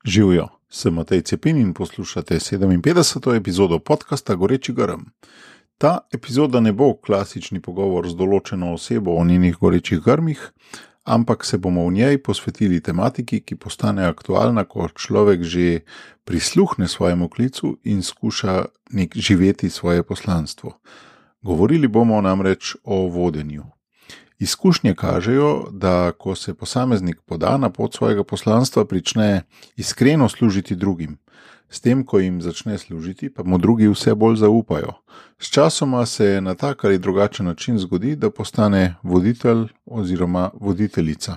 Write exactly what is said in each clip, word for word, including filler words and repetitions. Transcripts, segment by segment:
Živijo, sem Matej Cepin in poslušate sedeminpetdeseto epizodo podcasta Goreči grm. Ta epizoda ne bo klasični pogovor z določeno osebo o njenih gorečih grmih, ampak se bomo v njej posvetili tematiki, ki postane aktualna, ko človek že prisluhne svojemu klicu in skuša nek živeti svoje poslanstvo. Govorili bomo namreč o vodenju. Izkušnje kažejo, da ko se posameznik poda na pot svojega poslanstva, prične iskreno služiti drugim. S tem, ko jim začne služiti, pa mu drugi vse bolj zaupajo. Sčasoma se na tak ali drugačen način zgodi, da postane voditelj oziroma voditeljica.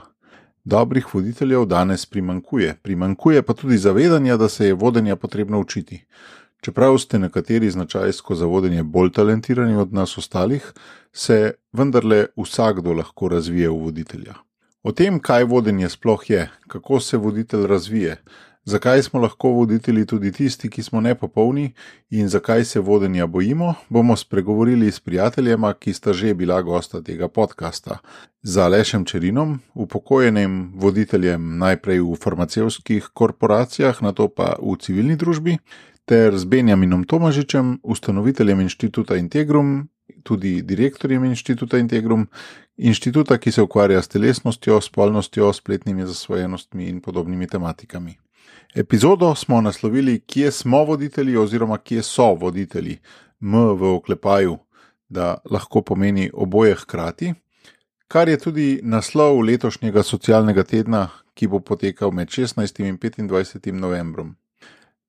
Dobrih voditeljev danes primanjkuje, primanjkuje pa tudi zavedanja, da se je vodenja potrebno učiti. Čeprav ste nekateri značajsko za vodenje bolj talentirani od nas ostalih, se vendarle vsakdo lahko razvije v voditelja. O tem, kaj vodenje sploh je, kako se voditelj razvije, zakaj smo lahko voditelji tudi tisti, ki smo nepopolni in zakaj se vodenja bojimo, bomo spregovorili s prijateljema, ki sta že bila gosta tega podcasta. Z Alešem Čerinom, upokojenim voditeljem najprej v farmacevtskih korporacijah, nato pa v civilni družbi, ter z Benjaminom Tomažičem, ustanoviteljem Inštituta Integrum, tudi direktorjem Inštituta Integrum, inštituta, ki se ukvarja s telesnostjo, spolnostjo, spletnimi zasvojenostmi in podobnimi tematikami. Epizodo smo naslovili Kje smo voditelji oziroma Kje so voditelji, M v oklepaju, da lahko pomeni oboje hkrati, kar je tudi naslov letošnjega socialnega tedna, ki bo potekal med šestnajstim in petindvajsetim novembrom.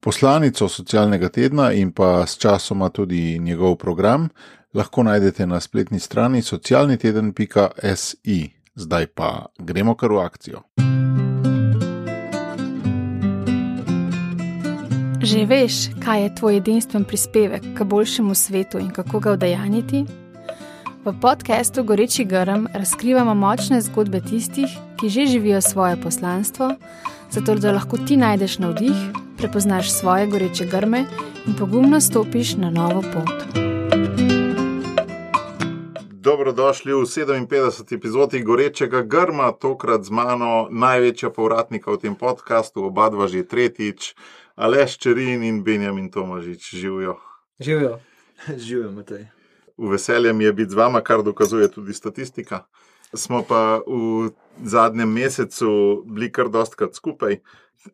Poslanico socialnega tedna in pa s časoma tudi njegov program lahko najdete na spletni strani socialni teden pika si. Zdaj pa gremo kar v akcijo. Že veš, kaj je tvoj edinstven prispevek k boljšemu svetu in kako ga udejanjiti? V podcastu Goreči grm razkrivamo močne zgodbe tistih, ki že živijo svoje poslanstvo, zato da lahko ti najdeš navdih, prepoznaš svoje goreče grme in pogumno stopiš na novo pot. Dobrodošli v sedeminpetdeseti epizodi Gorečega grma, tokrat z mano največja povratnika v tem podcastu, oba dva že tretjič, Aleš Čerin in Benjamin Tomažič. Živijo. Živijo. Živijo, Matej. V veselje mi je biti z vama, kar dokazuje tudi statistika. Smo pa v zadnjem mesecu bili kar dostkrat skupaj.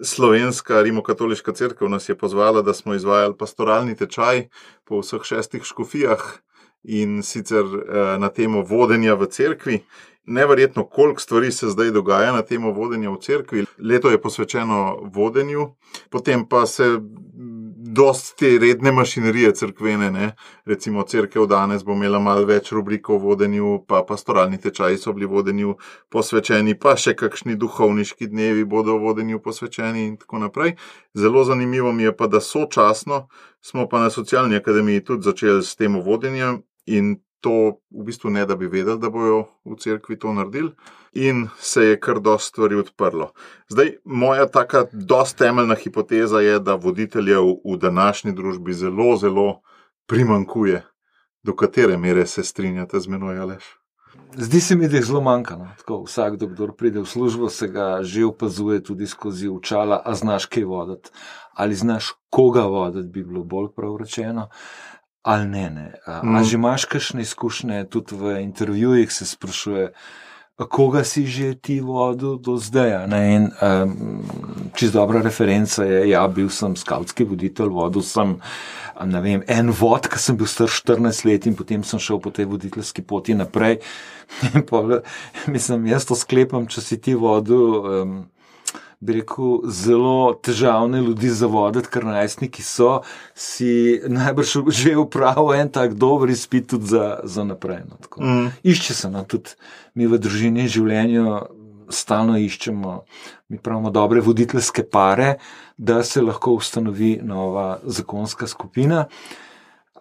Slovenska rimokatoliška cerkev nas je pozvala, da smo izvajali pastoralni tečaj po vseh šestih škofijah in sicer na temo vodenja v cerkvi. Neverjetno, koliko stvari se zdaj dogaja na temo vodenja v cerkvi. Leto je posvečeno vodenju, potem pa se dosti te redne mašinerije cerkvene, ne. Recimo cerkev danes bo imela malo več rubrik o vodenju, pa pastoralni tečaji so bili vodenju posvečeni, pa še kakšni duhovniški dnevi bodo vodenju posvečeni in tako naprej. Zelo zanimivo mi je pa, da sočasno smo pa na Socialni akademiji tudi začeli s temo vodenja in to v bistvu ne, da bi vedeli, da bojo v cerkvi to naredili in se je kar dosti stvari odprlo. Zdaj, moja taka dosti temeljna hipoteza je, da voditeljev v današnji družbi zelo, zelo primanjkuje. Do katere mere se strinjate z menoj, Aleš? Zdi se mi, da jih zelo manjka. No? Tako, vsakdo, kdor pride v službo, se ga že opazuje tudi skozi očala, a znaš kaj voditi. Ali znaš koga voditi, bi bilo bolj prav rečeno. Ali ne, ne. A, mm. a že imaš kakšne izkušnje, tudi v intervjujih se sprašuje, koga si že ti vodil do zdaj? Ne? In um, čisto dobra referenca je, ja, bil sem skavtski voditelj, vodil sem, ne vem, en vod, ko sem bil star štirinajst let in potem sem šel po tej voditeljski poti naprej. In pa, mislim, jaz to sklepam, če si ti vodil, um, bi rekel, zelo težavne ljudi za voditi, ker najstniki so, si najbrž že upravil en tak dober izpit tudi za, za naprej. No, tako. Mm. Išče se, no, tudi mi v družini življenju stalno iščemo, mi pravimo dobre voditeljske pare, da se lahko ustanovi nova zakonska skupina.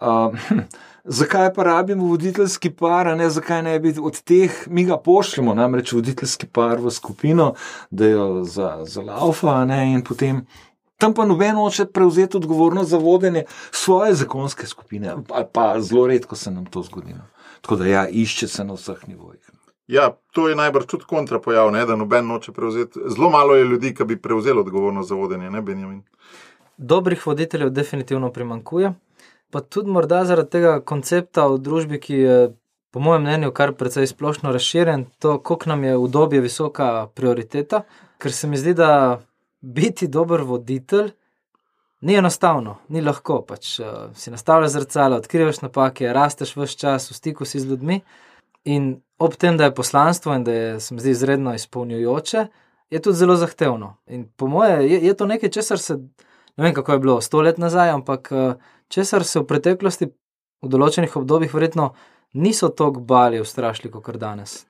Uh, hm, zakaj pa rabimo voditeljski par, a ne zakaj ne bi od teh, mi ga pošljemo, namreč voditeljski par v skupino, da jo za, za laufa, ne, in potem tam pa noben hoče prevzeti odgovornost za vodenje svoje zakonske skupine, ali pa zelo redko se nam to zgodi. Tako da ja, išče se na vseh nivojih. Ja, to je najbrž tudi kontrapojav, ne, da noben noče prevzeti. Zelo malo je ljudi, ki bi prevzeli odgovornost za vodenje, ne, Benjamin? Dobrih voditeljev definitivno primanjkuje, pa tudi morda zaradi tega koncepta v družbi, ki je po mojem mnenju kar precej splošno razširjen, to, koliko nam je udobje visoka prioriteta, ker se mi zdi, da biti dober voditelj ni enostavno, ni lahko, pač uh, si nastavljaš zrcalo, odkrivaš napake, rasteš ves čas, v stiku si z ljudmi in ob tem, da je poslanstvo in da je, se mi zdi, izredno izpolnjujoče, je tudi zelo zahtevno. In po moje je, je to nekaj, česar se, ne vem, kako je bilo sto let nazaj, ampak uh, česar se v preteklosti v določenih obdobjih verjetno niso toliko bali ustrašili, kot danes.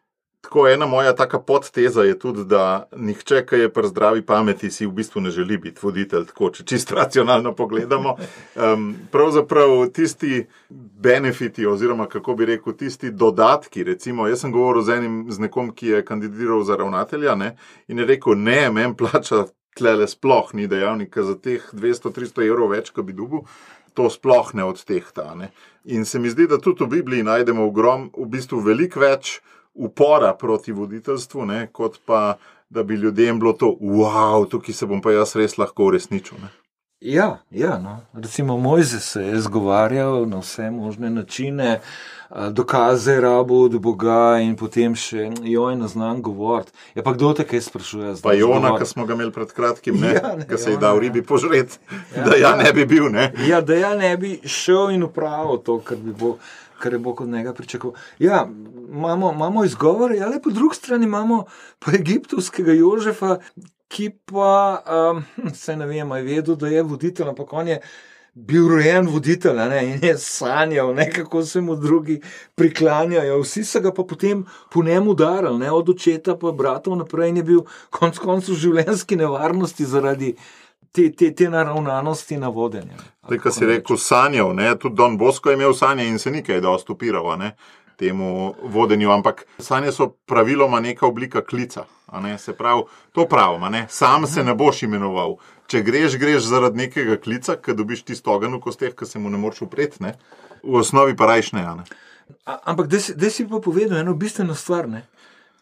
Tako, ena moja taka podteza je tudi, da nihče, ki je pri zdravi pameti, si v bistvu ne želi biti voditelj, tako, če čisto racionalno pogledamo. Um, pravzaprav tisti benefiti oziroma, kako bi rekel, tisti dodatki, recimo, jaz sem govoril z enim, z nekom, ki je kandidiral za ravnatelja, ne, in je rekel, ne, men plača tlele sploh ni dejavnika za teh dvesto tristo evrov več, ko bi dobil, to sploh ne odtehta, ne. In se mi zdi, da tudi v Bibliji najdemo ogrom, v bistvu veliko več upora proti voditeljstvu, ne, kot pa, da bi ljudem bilo to, wow, tukaj se bom pa jaz res lahko uresničil. Ne. Ja, ja, no. Recimo Mojzes se je zgovarjal na vse možne načine, dokaze rabo od Boga in potem še, joj, ne znam govoriti. Ja, pa kdo te kaj sprašuje? Pa Jona, ki smo ga imeli pred kratkim, ne, ja, ne ki se je dal ribi požret, ja, da ja ne bi bil, ne. Ja, da ja ne bi šel in upravil to, kar bi Bog, kar je Bog od njega pričakoval. Ja, imamo, imamo izgovore, ali po drugi strani imamo pa egiptovskega Jožefa, ki pa, um, se ne vem, je vedel, da je voditelj, ampak on je bil rojen voditelj, ne, in je sanjal, ne, kako se mu drugi priklanjajo. Vsi so ga pa potem po njemu udarili, ne, od očeta pa bratov naprej, in je bil konec koncev v življenjski nevarnosti zaradi te, te, te naravnanosti na vodenje. Zdaj, ko si rekel sanjal, ne, tudi Don Bosco je imel sanje in se nikaj dosti upiral, ne, temu vodenju, ampak sanje so praviloma neka oblika klica, a ne, se pravi, to pravim, a ne, sam se ne boš imenoval. Če greš, greš zaradi nekega klica, ko dobiš tisto ogenj v kosteh, ko se mu ne moreš upreti, ne, v osnovi pa rajš ne, a ne. A, ampak da si, da si pa povedal eno bistveno stvar, ne.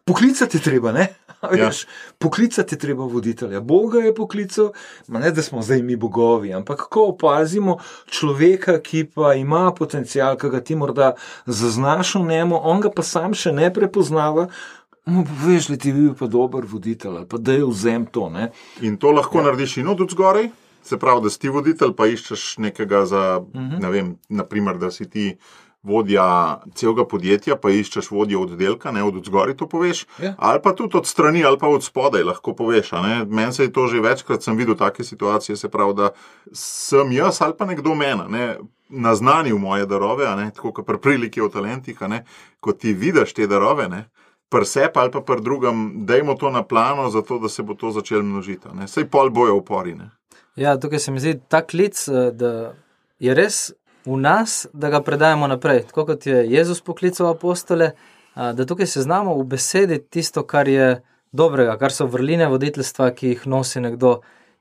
Poklicati je treba, ne? Veš, ja. Poklicati je treba voditelja. Boga je poklical, ma ne, da smo zdaj mi bogovi, ampak ko opazimo človeka, ki pa ima potencial, ki ga ti morda zaznaš v njemu, on ga pa sam še ne prepoznava, mu poveš, da ti bi bil pa dober voditelj, ali pa da je vzem to, ne? In to lahko ja. narediš in od zgoraj, se pravi, da si ti voditelj, pa iščeš nekega za, uh-huh. ne vem, naprimer, da si ti vodja celega podjetja, pa iščeš vodjo oddelka, ne, od zgori to poveš, ja. ali pa tudi od strani, ali pa od spodaj lahko poveš, a ne. Meni se je to že večkrat sem videl take situacije, se pravi, da sem jaz ali pa nekdo mena, ne, naznanil moje darove, a ne, tako kot pri priliki o talentih, a ne, ko ti vidiš te darove, ne, pri sebi ali pa pri drugem, dajmo to na plano, zato da se bo to začelo množiti, ne, saj pol bojo upori, ne. Ja, tukaj se mi zdi ta klic, da je res v nas, da ga predajamo naprej. Tako kot je Jezus poklical apostole, da tukaj se znamo v besedi tisto, kar je dobrega, kar so vrline voditeljstva, ki jih nosi nekdo,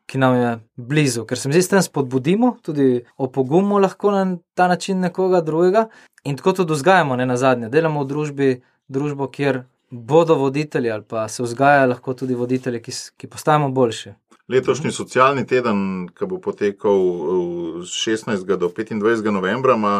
ki nam je blizu. Ker se mi zdi, s tem spodbudimo, tudi opogumimo lahko na ta način nekoga drugega in tako tudi vzgajamo, ne nazadnje. Delamo v družbi, družbo, kjer bodo voditelji ali pa se vzgajajo lahko tudi voditelji, ki, ki postajamo boljši. Letošnji socialni teden, ki bo potekal šestnajstega do petindvajsetega novembra, ima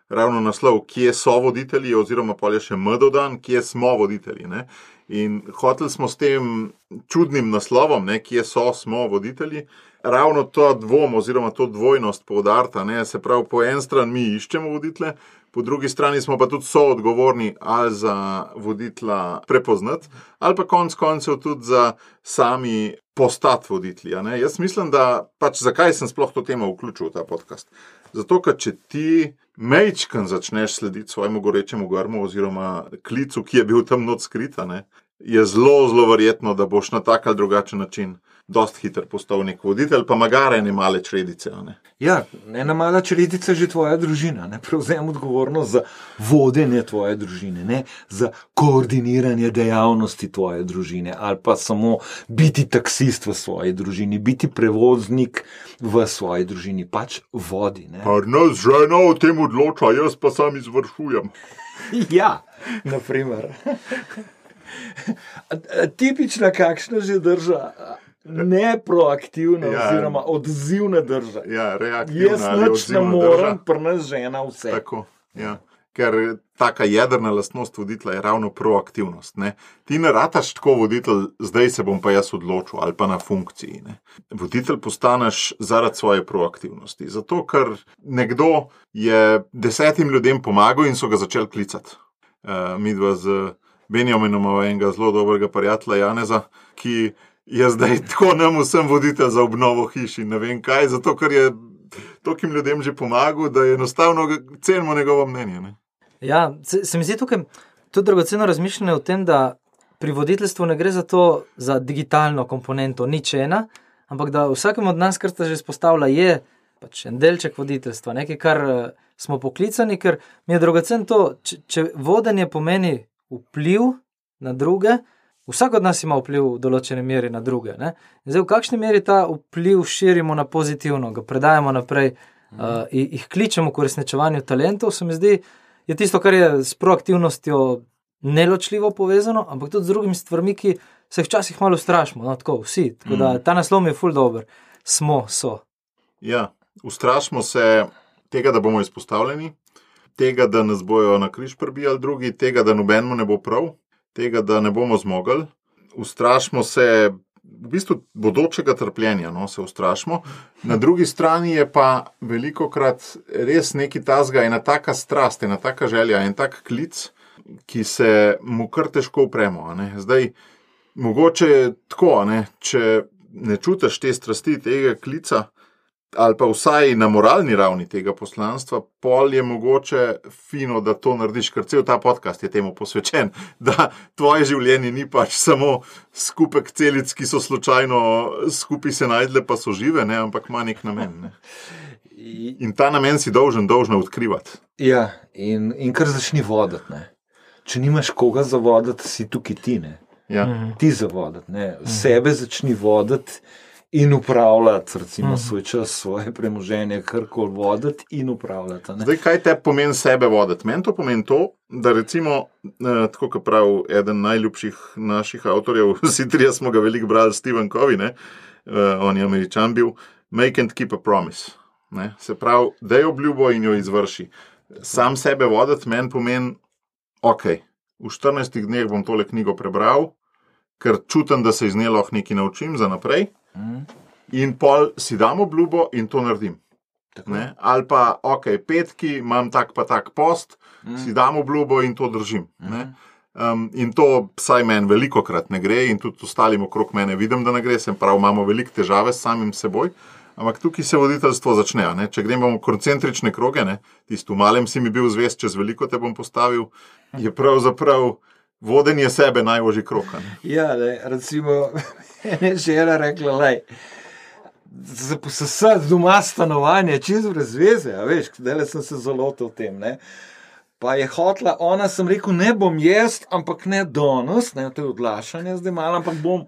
ravno naslov, kje so voditelji, oziroma pol je še M dodan, kje smo voditelji, ne. In hoteli smo s tem čudnim naslovom, ne, kje so, smo voditelji, ravno to dvom oziroma to dvojnost poudarta, ne, se pravi, po en stran mi iščemo voditelje, po drugi strani smo pa tudi soodgovorni ali za voditelja prepoznati, ali pa konc koncev tudi za sami postati voditelji, a ne. Jaz mislim, da pač zakaj sem sploh to temo vključil v ta podcast. Zato, ker če ti mejčkan začneš slediti svojemu gorečemu grmu oziroma klicu, ki je bil tam not skrit, a ne, je zelo, zelo verjetno, da boš na tak ali drugačen način dost hiter postal nek voditelj, pa magare ene male čredice, a ne. Ja, ena mala čredica je že tvoja družina, ne, prevzem odgovornost za vodenje tvoje družine, ne, za koordiniranje dejavnosti tvoje družine, ali pa samo biti taksist v svoji družini, biti prevoznik v svoji družini, pač vodi, ne. Pa nas žena o tem odloča, jaz pa sam izvršujem. Ja, naprimer. Tipična kakšna že drža. Neproaktivna, ja, oziroma odzivna drža. Ja, reaktivna. Jaz nič ne morem, pri nas žena vse. Tako, ja. Ker taka jedrna lastnost voditelja je ravno proaktivnost. Ne? Ti ne rataš tako voditelj, zdaj se bom pa jaz odločil, ali pa na funkciji. Ne? Voditelj postaneš zaradi svoje proaktivnosti. Zato, ker nekdo je desetim ljudem pomagal in so ga začeli klicati. Uh, midva z Benjaminom enega zelo dobrega prijatelja Janeza, ki je zdaj tako nam vsem voditelj za obnovo hiši, ne vem kaj, zato ker je tokim ljudem že pomagal, da je enostavno cenimo njegovo mnenje. Ne? Ja, se, se mi zdi tukaj tudi dragoceno razmišljanje o tem, da pri voditeljstvu ne gre za to, za digitalno komponento, nič ena, ampak da vsakem od nas, kar sta že izpostavila, je pač en delček voditeljstva, nekaj, kar smo poklicani, ker mi je dragoceno to, če, če vodenje pomeni vpliv na druge, vsak od nas ima vpliv v določene meri na druge. Ne? Zdaj, v kakšni meri ta vpliv širimo na pozitivno, ga predajamo naprej, mm. uh, jih kličemo k uresničevanju talentov, se mi zdi, je tisto, kar je s proaktivnostjo neločljivo povezano, ampak tudi z drugimi stvarmi, ki se včasih malo strašimo, no, tako vsi. Tako da ta naslov je ful dober. Smo, so. Ja, ustrašimo se tega, da bomo izpostavljeni, tega, da nas bojo na križ prbijali drugi, tega, da nobenemu ne bo prav, tega, da ne bomo zmogli. Ustrašimo se v bistvu bodočega trpljenja, no, se ustrašimo. Na drugi strani je pa velikokrat res neki tazga, ena taka strast, ena taka želja, en tak klic, ki se mu kar težko upremo. A ne. Zdaj, mogoče tako, a ne, če ne čutiš te strasti, tega klica, ali pa vsaj na moralni ravni tega poslanstva, pol je mogoče fino, da to narediš, ker cel ta podcast je temu posvečen, da tvoje življenje ni pač samo skupek celic, ki so slučajno skupaj se najdle, pa so žive, ne, ampak ima nek namen. Ne. In ta namen si dolžen, dolžna odkrivati. Ja, in, in kar začni voditi, ne. Če nimaš koga zavoditi, si tukaj ti, ne. Ja. Ti zavoditi, ne. Sebe začni voditi in upravljati, recimo, svoj čas, svoje premoženje, karkoli voditi in upravljati. Ne? Zdaj, kaj te pomeni sebe voditi? Meni to pomeni to, da recimo, eh, tako kot pravi eden najljubših naših avtorjev, vsi trije smo ga veliko brali, Stephen Covey, ne? Eh, on je Američan bil, make and keep a promise. Ne? Se pravi, daj obljubo in jo izvrši. Sam sebe voditi meni pomeni, ok, v štirinajstih dneh bom tole knjigo prebral, ker čutim, da se iz nje lahko nekaj naučim za naprej. Mm. In pol si dam obljubo in to naredim. Ne? Ali pa, ok, petki, imam tak pa tak post, mm. si dam obljubo in to držim. Mm. Ne? Um, in to vsaj meni velikokrat ne gre in tudi ostalim okrog mene vidim, da ne gre, sem prav, imamo velike težave s samim seboj, ampak tukaj se voditeljstvo začne. Ne? Če gremo v koncentrične kroge, ne? Tisto v malem si mi bil zvest, čez veliko te bom postavil, je pravzaprav vodenje sebe najožji krog. Ja, le, recimo, ena žena rekla, lej, za posesati doma stanovanje, čez brez veze, a veš, zdaj sem se zalotil v tem, ne. Pa je hotla, ona sem rekel, ne bom jaz, ampak ne danes, ne, to je odlašanje zdaj malo, ampak bom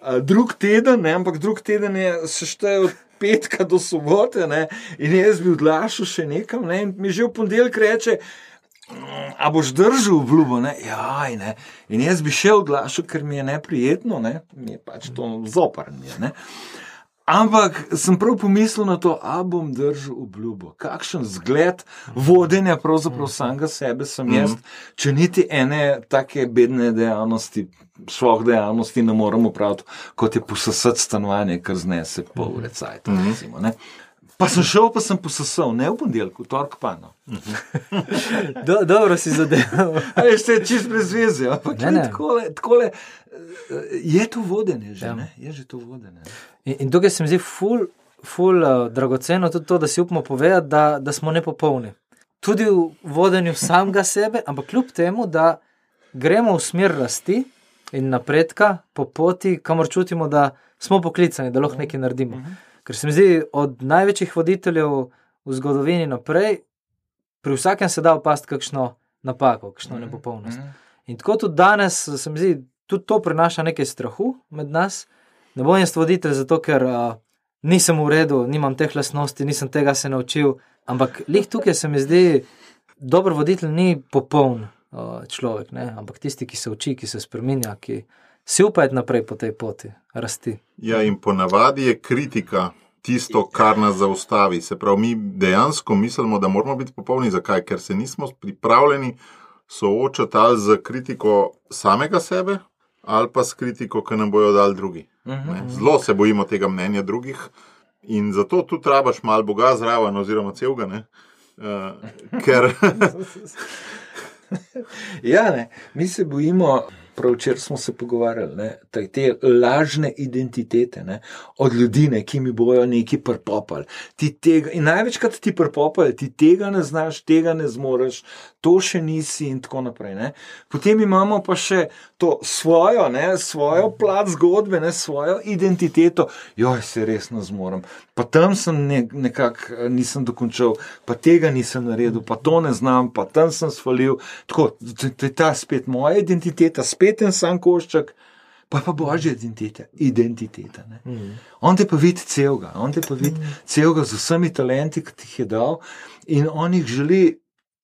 a, drug teden, ne, ampak drug teden je sešteje od petka do sobote, ne, in jaz bi odlašal še nekam, ne, in mi že v ponedeljek reče, a boš držal obljubo, ne? Jaj, ne. In jaz bi še odlašal, ker mi je neprijetno, ne? Mi je pač to zoprn, ne. Ampak sem prav pomislil na to, a bom držal obljubo. Kakšen zgled vodenja pravzaprav samega sebe sem jaz, če niti ene take bedne dejavnosti, šloh dejavnosti ne moram opraviti, kot je posesati stanovanje, kar znese pol ure cajta, recimo, ne. Pa sem šel, pa sem posesal, ne v ponedeljku, tork pa, no. Do, dobro si zadeval. A veš, to je čist brez veze, ampak ne, ne. Takole, takole, je to vodenje že, ja. Ne? Je že to vodenje. In, in tukaj se mi zdi ful, ful uh, dragoceno tudi to, da si upamo povedati, da, da smo nepopolni. Tudi v vodenju samega sebe, ampak kljub temu, da gremo v smer rasti in napredka po poti, kamor čutimo, da smo poklicani, da lahko nekaj naredimo. Uh-huh. Ker se mi zdi, od največjih voditeljev v zgodovini naprej, pri vsakem se da opasti kakšno napako, kakšno mm-hmm. nepopolnost. In tako tudi danes, se mi zdi, tudi to prinaša nekaj strahu med nas. Ne bom jaz voditelj zato, ker uh, nisem v redu, nimam teh lastnosti, nisem tega se naučil, ampak lih tukaj se mi zdi, dober voditelj ni popoln. uh, človek, ne? Ampak tisti, ki se uči, ki se spreminja, ki si upa iti naprej po tej poti, rasti. Ja, in ponavadi je kritika tisto, kar nas zaustavi. Se pravi, mi dejansko mislimo, da moramo biti popolni. Zakaj? Ker se nismo pripravljeni soočati ali z kritiko samega sebe, ali pa s kritiko, ki nam bojo dali drugi. Ne? Zelo se bojimo tega mnenja drugih in zato tudi rabaš malo Boga zraven oziroma celega, ne? Uh, ker... ja, ne, mi se bojimo, prav včeraj smo se pogovarjali, ne, te, te lažne identitete, ne, od ljudi, ne, ki mi bojo neki prpopali. Ti tega, in največkrat ti prpopali, ti tega ne znaš, tega ne zmoreš, to še nisi in tako naprej. Ne. Potem imamo pa še to svojo, ne, svojo plat zgodbe, ne, svojo identiteto. Joj, se res ne zmorem. Pa tam sem ne, nekako nisem dokončal, pa tega nisem naredil, pa to ne znam, pa tam sem svalil. Tako, to je ta spet moja identiteta, spet en sam košček, pa pa božja identiteta. identiteta ne. Mm. On te pa vidi celega, on te pa vidi mm. celega z vsemi talenti, ki ti jih je dal in on jih želi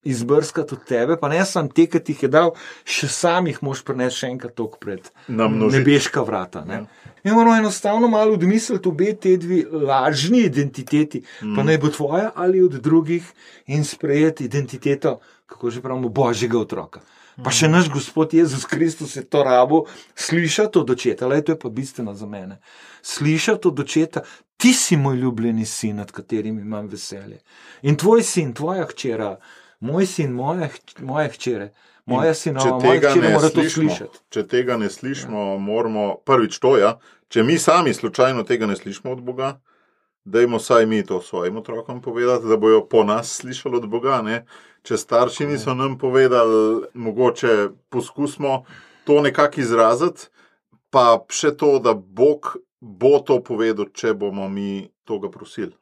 izbrskati od tebe, pa ne sam te, ki ti jih je dal, še sam jih moš prinesti še enkrat tok pred nebeška vrata. Ne. Ja. In moramo enostavno malo odmisliti obe te dve lažni identiteti, mm. pa naj bo tvoja ali od drugih in sprejeti identiteto, kako že pravimo, božjega otroka. Pa še naš Gospod Jezus Kristus je to rabo slišati od očeta, le to je pa bistveno za mene. Slišati od očeta, ti si moj ljubljeni sin, nad katerim imam veselje. In tvoj sin, tvoja hčera, moj sin, moja, moja hčere, moja sinova, moja hčere mora to slišati. Če tega ne slišimo, ja. moramo prvič to, ja, če mi sami slučajno tega ne slišimo od Boga, dajmo saj mi to svojim otrokom povedati, da bojo po nas slišali od Boga, ne. Če starši niso nam povedali, mogoče poskusimo to nekako izraziti, pa še to, da Bog bo to povedal, če bomo mi toga prosili.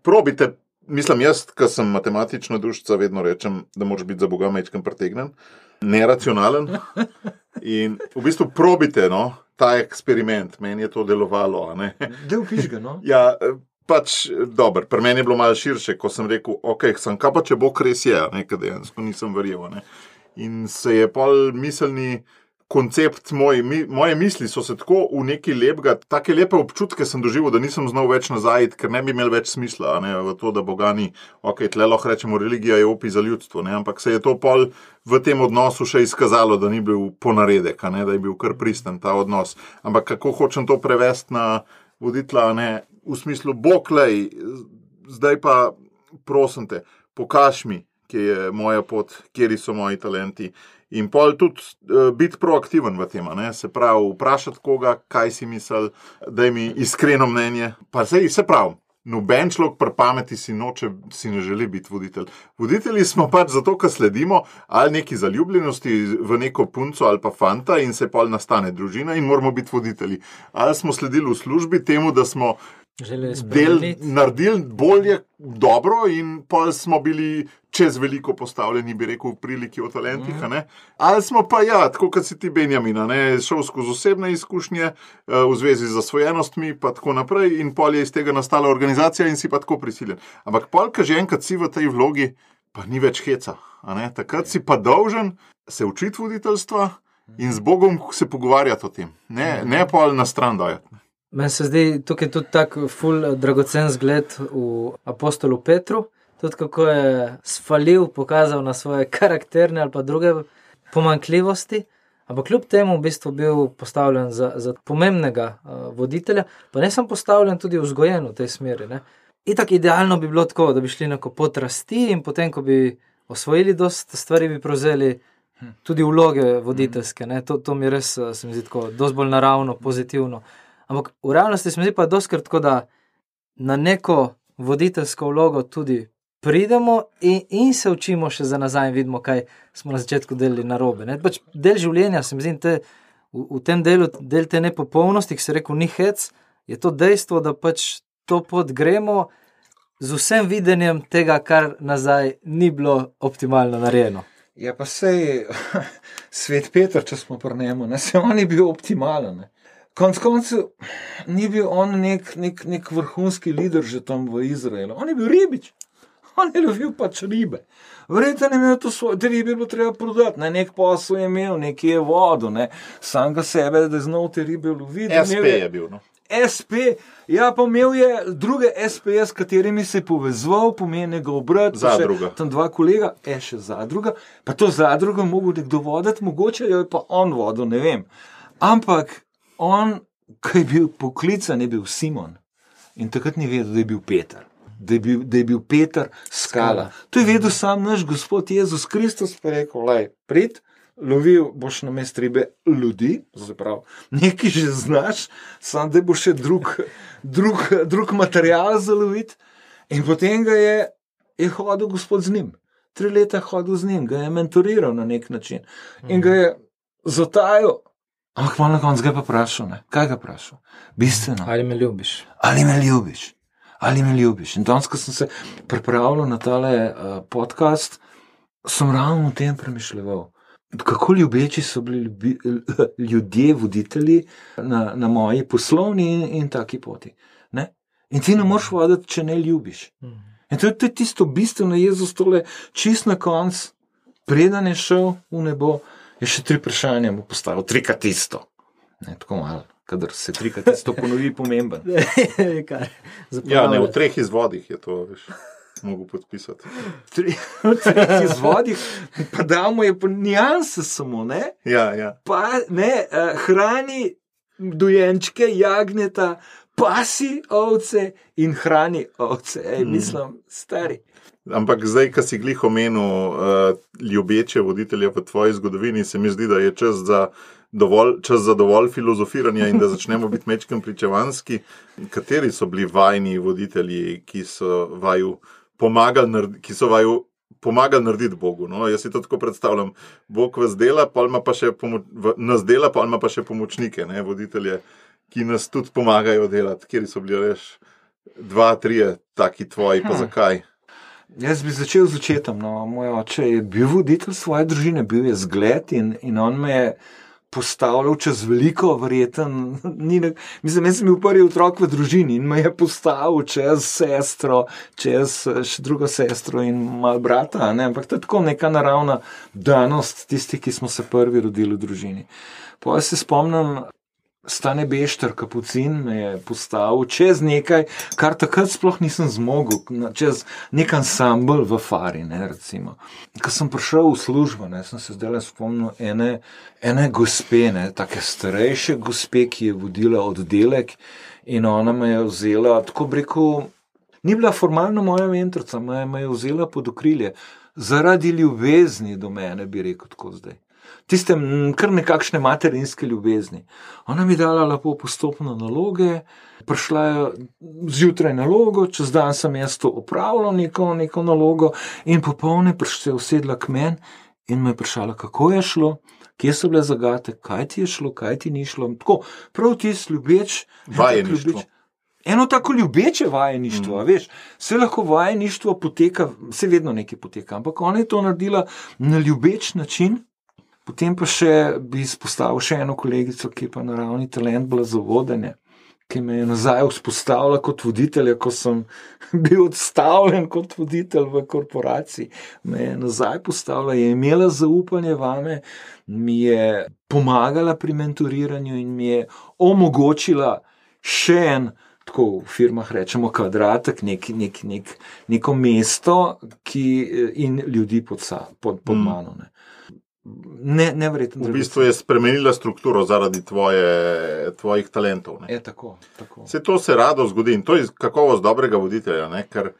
Probite, mislim jaz, ko sem matematična dušica, vedno rečem, da moraš biti za Boga majčkeno pretegnen, neracionalen. In v bistvu probite, no, ta eksperiment, meni je to delovalo. A ne? Del pižga, no? Ja, pač, dobro, pri meni je bilo malo širše, ko sem rekel, ok, sem kaj pa, če Bog res je, nekaj dejansko nisem verjel. Ne? In se je pol miselni koncept, moj, mi, moje misli so se tako v neki lepega, take lepe občutke sem doživel, da nisem znal več nazaj, ker ne bi imel več smisla, ne, v to, da Boga ni, ok, tle lahko rečemo, religija je opi za ljudstvo, ne, ampak se je to pol v tem odnosu še izkazalo, da ni bil ponaredek, ne, da je bil kar pristen ta odnos. Ampak kako hočem to prevesti na voditla, ne, v smislu, Bog, lej, zdaj pa prosim te, pokaž mi, kje je moja pot, kjeri so moji talenti. In pol tudi uh, biti proaktiven v tem, ne? Se pravi, vprašati koga, kaj si misli, daj mi iskreno mnenje. Pa sej, se pravi, noben človek pri pameti si noče, si ne želi biti voditelj. Voditelji smo pač zato, ker sledimo ali neki zaljubljenosti v neko punco ali pa fanta in se pol nastane družina in moramo biti voditelji. Ali smo sledili v službi temu, da smo del naredili bolje, dobro in pol smo bili čez veliko postavljeni, bi rekel, v priliki o talentih, mm. ne? Ali smo pa ja, tako kot si ti Benjamina, ne, šel skozi osebne izkušnje v zvezi z zasvojenostmi, pa tako naprej in pol je iz tega nastala organizacija in si pa tako prisiljen. Ampak pol, ko že enkrat si v tej vlogi, pa ni več heca, a ne? Takrat si pa dolžen se učiti voditeljstva in z Bogom se pogovarjati o tem, ne, ne pol na stran dajati. Meni se zdi tukaj tudi tak ful dragocen zgled v apostolu Petru, tudi kako je sfalil, pokazal na svoje karakterne ali pa druge pomanjkljivosti, ampak kljub temu v bistvu bil postavljen za, za pomembnega uh, voditelja, pa ne sem postavljen tudi vzgojen v tej smeri. Ne? Itak idealno bi bilo tako, da bi šli neko pot rasti in potem, ko bi osvojili dost stvari, bi prevzeli tudi vloge voditeljske. Ne? To, to mi res, se mi zdi tako, dost bolj naravno, pozitivno. Ampak v realnosti se mi zdi pa doskrat tako, da na neko voditeljsko vlogo tudi pridemo in, in se učimo še za nazaj in vidimo, kaj smo na začetku delali narobe. Ne? Pač del življenja, se mi zdi, te, v, v tem delu, del te nepopolnosti, ki se rekel ni hec, je to dejstvo, da pač to pot gremo z vsem videnjem tega, kar nazaj ni bilo optimalno narejeno. Ja, pa sej svet Peter, če smo pri njemu, ne, se on je bil optimalen, ne. Konc koncev ni bil on nek, nek, nek vrhunski lider že tam v Izraelu. On je bil ribič. On je lovil pač ribe. Verjetno je imel to svoje, te ribe bilo treba prodati, ne, nek posel je imel, nekje je vodo, ne, sam ga sebe, da je znal te ribe loviti. S P je bil, no. S P, ja, pa imel je druge S P, s katerimi se je povezval, pomeni ga obrat. Zadruga. Tam dva kolega, je še zadruga, pa to zadrugo je mogel nekdo voditi, mogoče jo je pa on vodil, ne vem. Ampak on, ko je bil poklican, je bil Simon in takrat ni vedel, da je bil Peter. Da je bil, da je bil Peter Skala. To je vedel sam naš Gospod Jezus Kristus, pa je rekel, lej, prid, lovil boš na mest ribe ljudi, zaprav, nekaj že znaš, sam da bo še drug, drug, drug material za loviti. In potem ga je, je hodil Gospod z njim. Tri leta je hodil z njim, ga je mentoriral na nek način. In ga je zatajal. Ampak malo na koncu ga je pa vprašal, ne? Kaj ga vprašal? Bistveno. Ali me ljubiš? Ali me ljubiš? Ali me ljubiš? In danes, ko sem se pripravljal na tale uh, podcast, sem ravno o tem premišljeval. Kako ljubeči so bili ljubi, ljudje, voditelji na, na moji poslovni in, in taki poti. Ne? In ti ne moreš voditi, če ne ljubiš. In to je, to je tisto bistveno, Jezus tole čist na konc, preden je šel v nebo, je še tri vprašanja mu postavil, trikrat isto. Ne, tako malo. Kadar se trikrat isto ponovi, pomemben. Ja, ne, v treh izvodih je to, veš, mogu podpisati. Tri, v treh izvodih, pa damo je pa nijanse samo, ne? Ja, ja. Pa, ne, uh, hrani dojenčke, jagneta, pasi ovce in hrani ovce. Ej, mislim, stari. Ampak zdaj, ko si glih omenil uh, ljubeče voditelje v tvoji zgodovini, se mi zdi, da je čas za dovolj, čas za dovolj filozofiranja in da začnemo biti mečkem pričevanski. Kateri so bili vajni voditelji, ki so vaju pomagali, naredi, ki so vaju pomagali narediti Bogu? No? Jaz si to tako predstavljam. Bog vas dela, pa ima pa še, pomo- nas dela, pa ima pa še pomočnike, ne? Voditelje, ki nas tudi pomagajo delati. Kjeri so bili reš dva, trije taki tvoji, pa zakaj? Jaz bi začel z očetom. No. Moj oče je bil voditelj svoje družine, bil je zgled in, in on me je postavljal čez veliko, verjeten. Ni ne, mislim, jaz sem bil prvi otrok v družini in me je postavil čez sestro, čez še drugo sestro in mal brata. Ne. Ampak to je tako neka naravna danost tisti, ki smo se prvi rodili v družini. Pa se spomnim, Stane Bešter, kapucin, me je postavil čez nekaj, kar takrat sploh nisem zmogel, čez nek ansambl v Fari, ne, recimo. Ko sem prišel v službo, ne, sem se zdaj spomnil ene, ene gospe, ne, take starejše gospe, ki je vodila oddelek in ona me je vzela, tako bi rekel, ni bila formalno moja mentorica, me, me je vzela pod okrilje, zaradi ljubezni do mene, bi rekel tako zdaj. Tiste kar nekakšne materinske ljubezni. Ona mi dala lepo postopno naloge, prišla je zjutraj nalogo, čez dan sem jaz to opravila, neko, neko nalogo in popolne se je usedla k meni in me je vprašala, kako je šlo, kje so bile zagate, kaj ti je šlo, kaj ti ni šlo. Tako, prav tisti ljubeč, vajeništvo. Eno tako ljubeče vajeništvo, mm. veš, vse lahko vajeništvo poteka, vse vedno nekaj poteka, ampak ona je to naredila na ljubeč način. Potem pa še bi izpostavil še eno kolegico, ki je pa naravni talent bila za vodenje, ki me je nazaj vzpostavila kot voditelja, ko sem bil odstavljen kot voditelj v korporaciji. Me je nazaj postavila, je imela zaupanje vame, mi je pomagala pri mentoriranju in mi je omogočila še en, tako v firmah rečemo, kvadratek, nek, nek, nek, neko mesto ki, in ljudi pod, pod, pod mano. Ne. Ne, neverjetno. V bistvu je spremenila strukturo zaradi tvoje, tvojih talentov. Ne? Je tako, tako. Se to se rado zgodi in to je kakovost dobrega voditelja, ne? Ker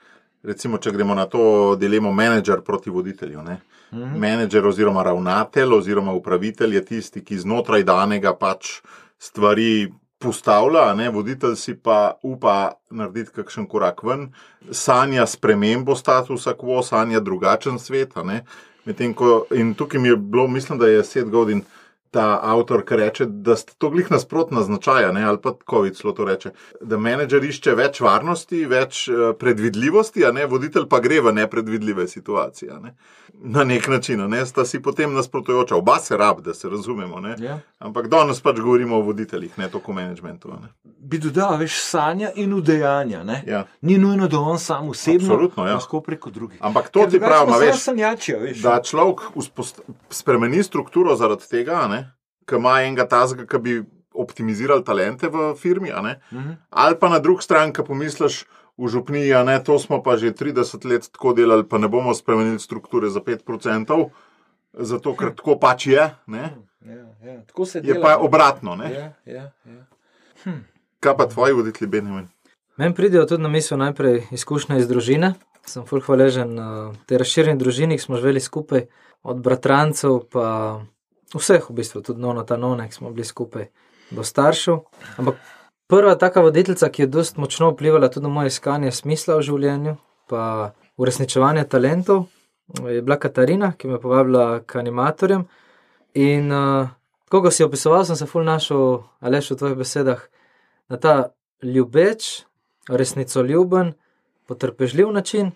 recimo, če gremo na to dilemo menedžer proti voditelju. Ne? Mm-hmm. Menedžer oziroma ravnatelj oziroma upravitelj je tisti, ki znotraj danega pač stvari postavlja, ne? Voditelj si pa upa narediti kakšen korak ven, sanja spremembo statusa quo, sanja drugačen svet, ne? Medtem ko, in tukaj mi je bilo, mislim, da je Seth Godin ta avtor, ki reče, da sta to glih nasprotna značaja, ne, ali pa Covid celo to reče, da menedžer išče več varnosti, več uh, predvidljivosti, a ne, voditelj pa gre v nepredvidljive situacije, ne. Na nek način, ne, sta si potem nasprotujoča. Oba se rab, da se razumemo, ne. Ja. Ampak danes pač govorimo o voditeljih, ne toliko o menedžmentu. Ne. Bi dodal, veš, sanja in udejanja, ne? Ja. Ni nujno, da on sam osebno, Absolutno, ja. lahko preko drugih. Ampak to Ker ti drugače pravim, pa a samo veš, sanjačijo, veš. da človek uspost- spremeni strukturo zaradi tega, ne, ki ima enega tazga, ki bi optimizirali talente v firmi, a ne, Mhm. ali pa na drug stran, ki pomisliš v župniji, a ne, to smo pa že trideset let tako delali, pa ne bomo spremenili strukture za pet procentov, zato ker tako pač je, ne, Ja, ja. Tako se je dela. pa obratno, ne. Ja, ja, ja. Kaj pa tvoji voditelji, Benjamin? Meni pridejo tudi na misel najprej izkušnje iz družine. Sem ful hvaležen uh, tej razširjeni družini, ki smo živeli skupaj, od bratrancev pa vseh v bistvu, tudi nona ta nona, ki smo bili skupaj, do staršev. Ampak prva taka voditeljica, ki je dost močno vplivala tudi na moje iskanje smisla v življenju, pa uresničevanje talentov, je bila Katarina, ki me je povabila k animatorjem. In uh, ko si opisoval, sem se ful našel, Aleš, v tvojih besedah, na ta ljubeč, resnicoljuben, potrpežljiv način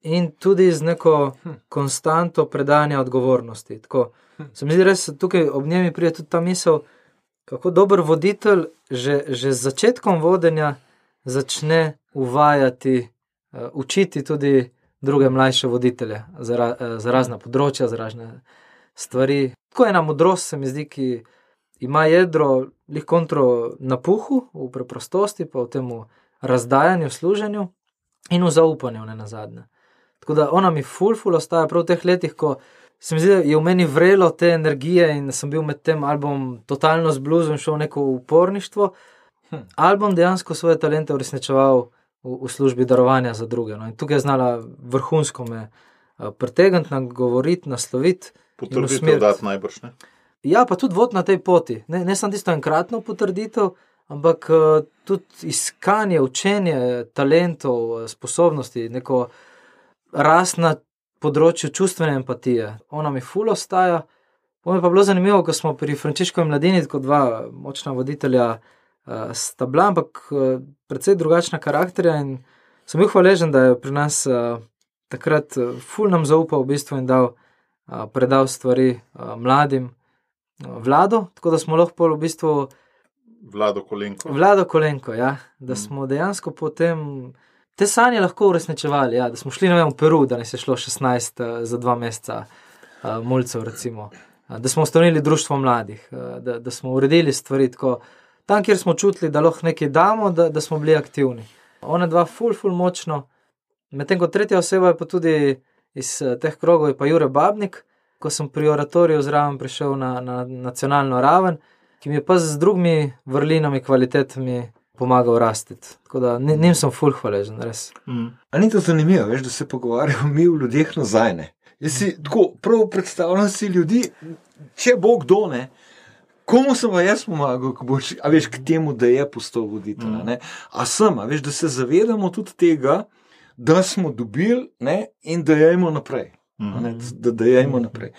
in tudi z neko konstanto predanja odgovornosti. Tako, se mi zdi res, tukaj ob njemi pride tudi ta misel, kako dober voditelj že, že z začetkom vodenja začne uvajati, uh, učiti tudi druge mlajše voditelje za, ra, uh, za razna področja, za razne stvari. Tako ena modrost se mi zdi, ki ima jedro lih kontro napuhu, v preprostosti, pa v temu razdajanju, služenju in v zaupanju, ne nazadnje. Tako da ona mi ful, ful ostaja prav v teh letih, ko se mi zdi, da je v meni vrelo te energije in sem bil med tem album totalno zbluzil in šel v neko uporništvo. Hm. Album dejansko svoje talente uresničeval v, v službi darovanja za druge. No. In tukaj je znala vrhunsko me uh, pretegniti, nagovoriti, nasloviti. Potrditev dati najbrž, ne? Ja, pa tudi vod na tej poti. Ne, ne samo tisto enkratno potrditev, ampak uh, tudi iskanje, učenje talentov, sposobnosti, neko rast na področju čustvene empatije. Ona mi ful ostaja. Ono je pa bilo zanimivo, ko smo pri Frančiškovi mladini, kot dva močna voditelja uh, sta bila, ampak uh, precej drugačna karakterja in sem bil hvaležen, da je pri nas uh, takrat uh, ful nam zaupal v bistvu in dal, uh, predal stvari uh, mladim uh, Vlado, tako da smo lahko v bistvu Vlado Kolenko. Vlado Kolenko, ja, da smo dejansko potem te sanje lahko uresničevali, ja, da smo šli, ne vem, v Peru, da nas je šlo šestnajst uh, za dva meseca uh, mulcev, recimo, uh, da smo ustanovili društvo mladih, uh, da, da smo uredili stvari tako, tam, kjer smo čutili, da lahko nekaj damo, da, da smo bili aktivni. Ona dva ful, ful močno, medtem ko tretja oseba je pa tudi iz uh, teh krogov, je pa Jure Babnik, ko sem pri oratoriju zraven prišel na, na nacionalno raven, ki mi je pa z drugimi vrlinami, kvalitetami pomagal rastiti. Tako da njim sem ful hvaležen, res. Mm. A ni to zanimivo, veš, da se pogovarjamo mi v ljudeh nazaj, ne? Jaz si tako prav predstavljam si ljudi, če bo kdo, ne, komu sem pa jaz pomagal, ko boš, a veš, k temu, da je postal voditelj, ne? A sem, a veš, da se zavedamo tudi tega, da smo dobili, ne, in da jajmo naprej. Ne, da dajemo naprej.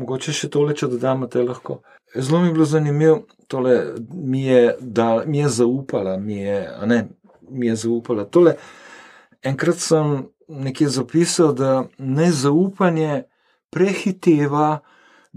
Mogoče še tole, če dodamo, te lahko. Zelo mi je bilo zanimivo, tole mi je, da, mi je zaupala, mi je, a ne, mi je zaupala. Tole, enkrat sem nekje zapisal, da nezaupanje prehiteva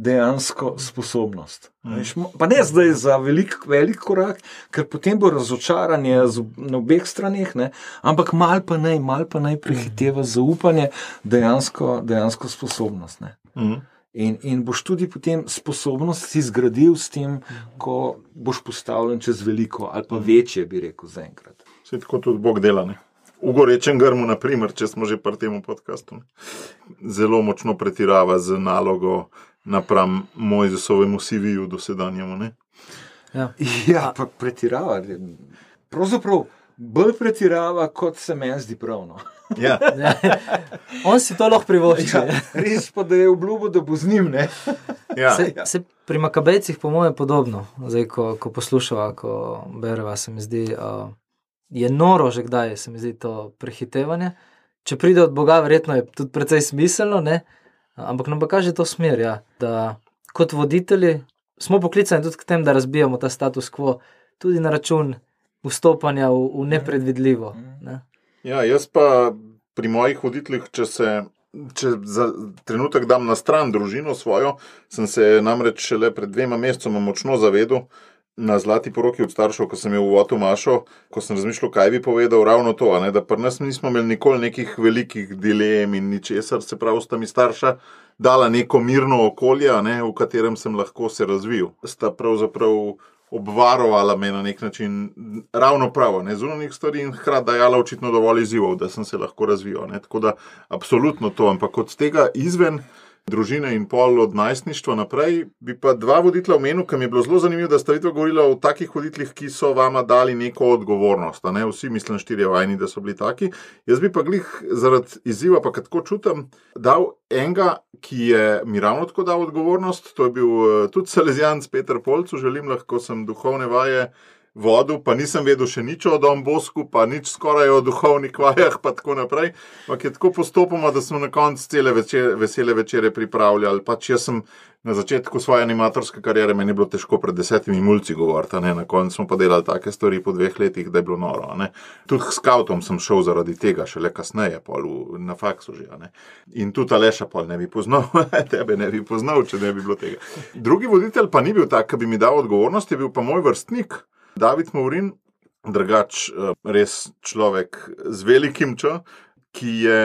dejansko sposobnost. Mm. Veš, pa ne zdaj za velik, velik korak, ker potem bo razočaranje na obeh straneh, ne, ampak mal pa naj, mal pa naj prehiteva zaupanje dejansko, dejansko sposobnost. Ne. Mm. In, in boš tudi potem sposobnost si zgradil s tem, ko boš postavljen čez veliko ali pa večje, bi rekel, zaenkrat. Vse tako tudi Bog dela, ne. V gorečem grmu, na primer, če smo že pri tem podcastu, zelo močno pretirava z nalogo napram Mojzesovemu C V-ju dosedanjemu, ne. Ja, ja pa pretirava. Pravzaprav bolj pretirava, kot se meni zdi pravno. Ja. On si to lahko privošči. Ja, res pa, da je obljubil, da bo z njim, ne. Ja. Se, se pri Makabejcih po moje podobno, zdaj, ko, ko poslušava, ko bereva, se mi zdi, uh, je noro že kdaj, se mi zdi to prehitevanje. Če pride od Boga, verjetno je tudi precej smiselno, ne, ampak nam pa kaže to smer, ja, da kot voditelji smo poklicani tudi k tem, da razbijamo ta status quo, tudi na račun vstopanja v, v nepredvidljivo. Ne? Ja, jaz pa pri mojih voditeljih, če se če za trenutek dam na stran družino svojo, sem se namreč šele pred dvema mesecoma močno zavedel na zlati poroki od staršev, ko sem je v Votu Mašo, ko sem razmišljal, kaj bi povedal, ravno to, a ne, da pri nas nismo imeli nikoli nekih velikih dilem in ničesar, se pravi, sta mi starša dala neko mirno okolje, a ne, v katerem sem lahko se razvil. Sta pravzaprav obvarovala me na nek način ravno pravo, ne, zunanjih stvari in hkrati dajala očitno dovolj izzivov, da sem se lahko razvijal, ne, tako da absolutno to, ampak od tega izven družine in pol od najstništva naprej, bi pa dva voditelja omenil, ki mi je bilo zelo zanimivo, da sta vidva govorila o takih voditeljih, ki so vama dali neko odgovornost, a ne, vsi mislim štirje vajni, da so bili taki. Jaz bi pa glih zaradi izziva, pa kad tako čutam, dal enega, ki je mi ravno tako dal odgovornost, to je bil tudi Salezijanc Peter Polcu, želim lahko sem duhovne vaje vodil, pa nisem vedel še nič o Don Bosku, pa nič skoraj o duhovnih vajah, pa tako naprej. Ampak je tako postopoma, da smo na koncu cele večer, vesele večere pripravljali. Pač jaz sem na začetku svoje animatorske kariere, meni je bilo težko pred desetimi mulci govoriti, ne? Na koncu smo pa delali take stvari po dveh letih, da je bilo noro. Ne? Tudi s skautom sem šel zaradi tega, šele kasneje, pol v, na faksu že. Ne? In tudi Aleša pol ne bi poznal, tebe ne bi poznal, če ne bi bilo tega. Drugi voditelj pa ni bil tak, ki bi mi dal odgovornost, je bil pa moj vrstnik, David Maurin, drugač res človek z velikim Č, ki je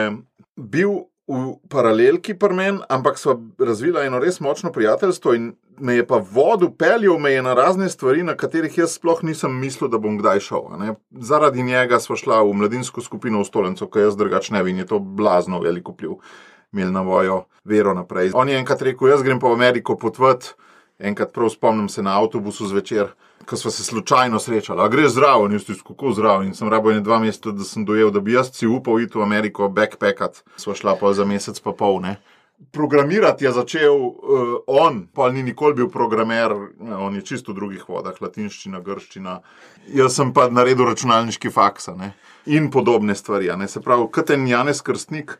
bil v paralelki pri meni, ampak sva razvila eno res močno prijateljstvo in me je pa vodil, peljal me je na razne stvari, na katerih jaz sploh nisem mislil, da bom kdaj šel. Ne? Zaradi njega sva šla v mladinsko skupino v Stolenco, ko jaz drugač ne bi, in je to blazno veliko vpliv imel na mojo vero naprej. On je enkrat rekel, jaz grem pa v Ameriko potvati, enkrat prav spomnim se na avtobusu zvečer, ko sva se slučajno srečala. A greš zdravo? In jaz tudi kako zdravo? In sem rabo ene dva meseca, da sem dojel, da bi jaz si upal iti v Ameriko backpackat. Sva šla pa za mesec pa pol, ne. Programirati je začel uh, on, pa ni nikoli bil programer, on je čisto v drugih vodah, latinščina, grščina. Jaz sem pa naredil računalniški faksa, ne. In podobne stvari, ne. Se pravi, kot en Janez Krstnik,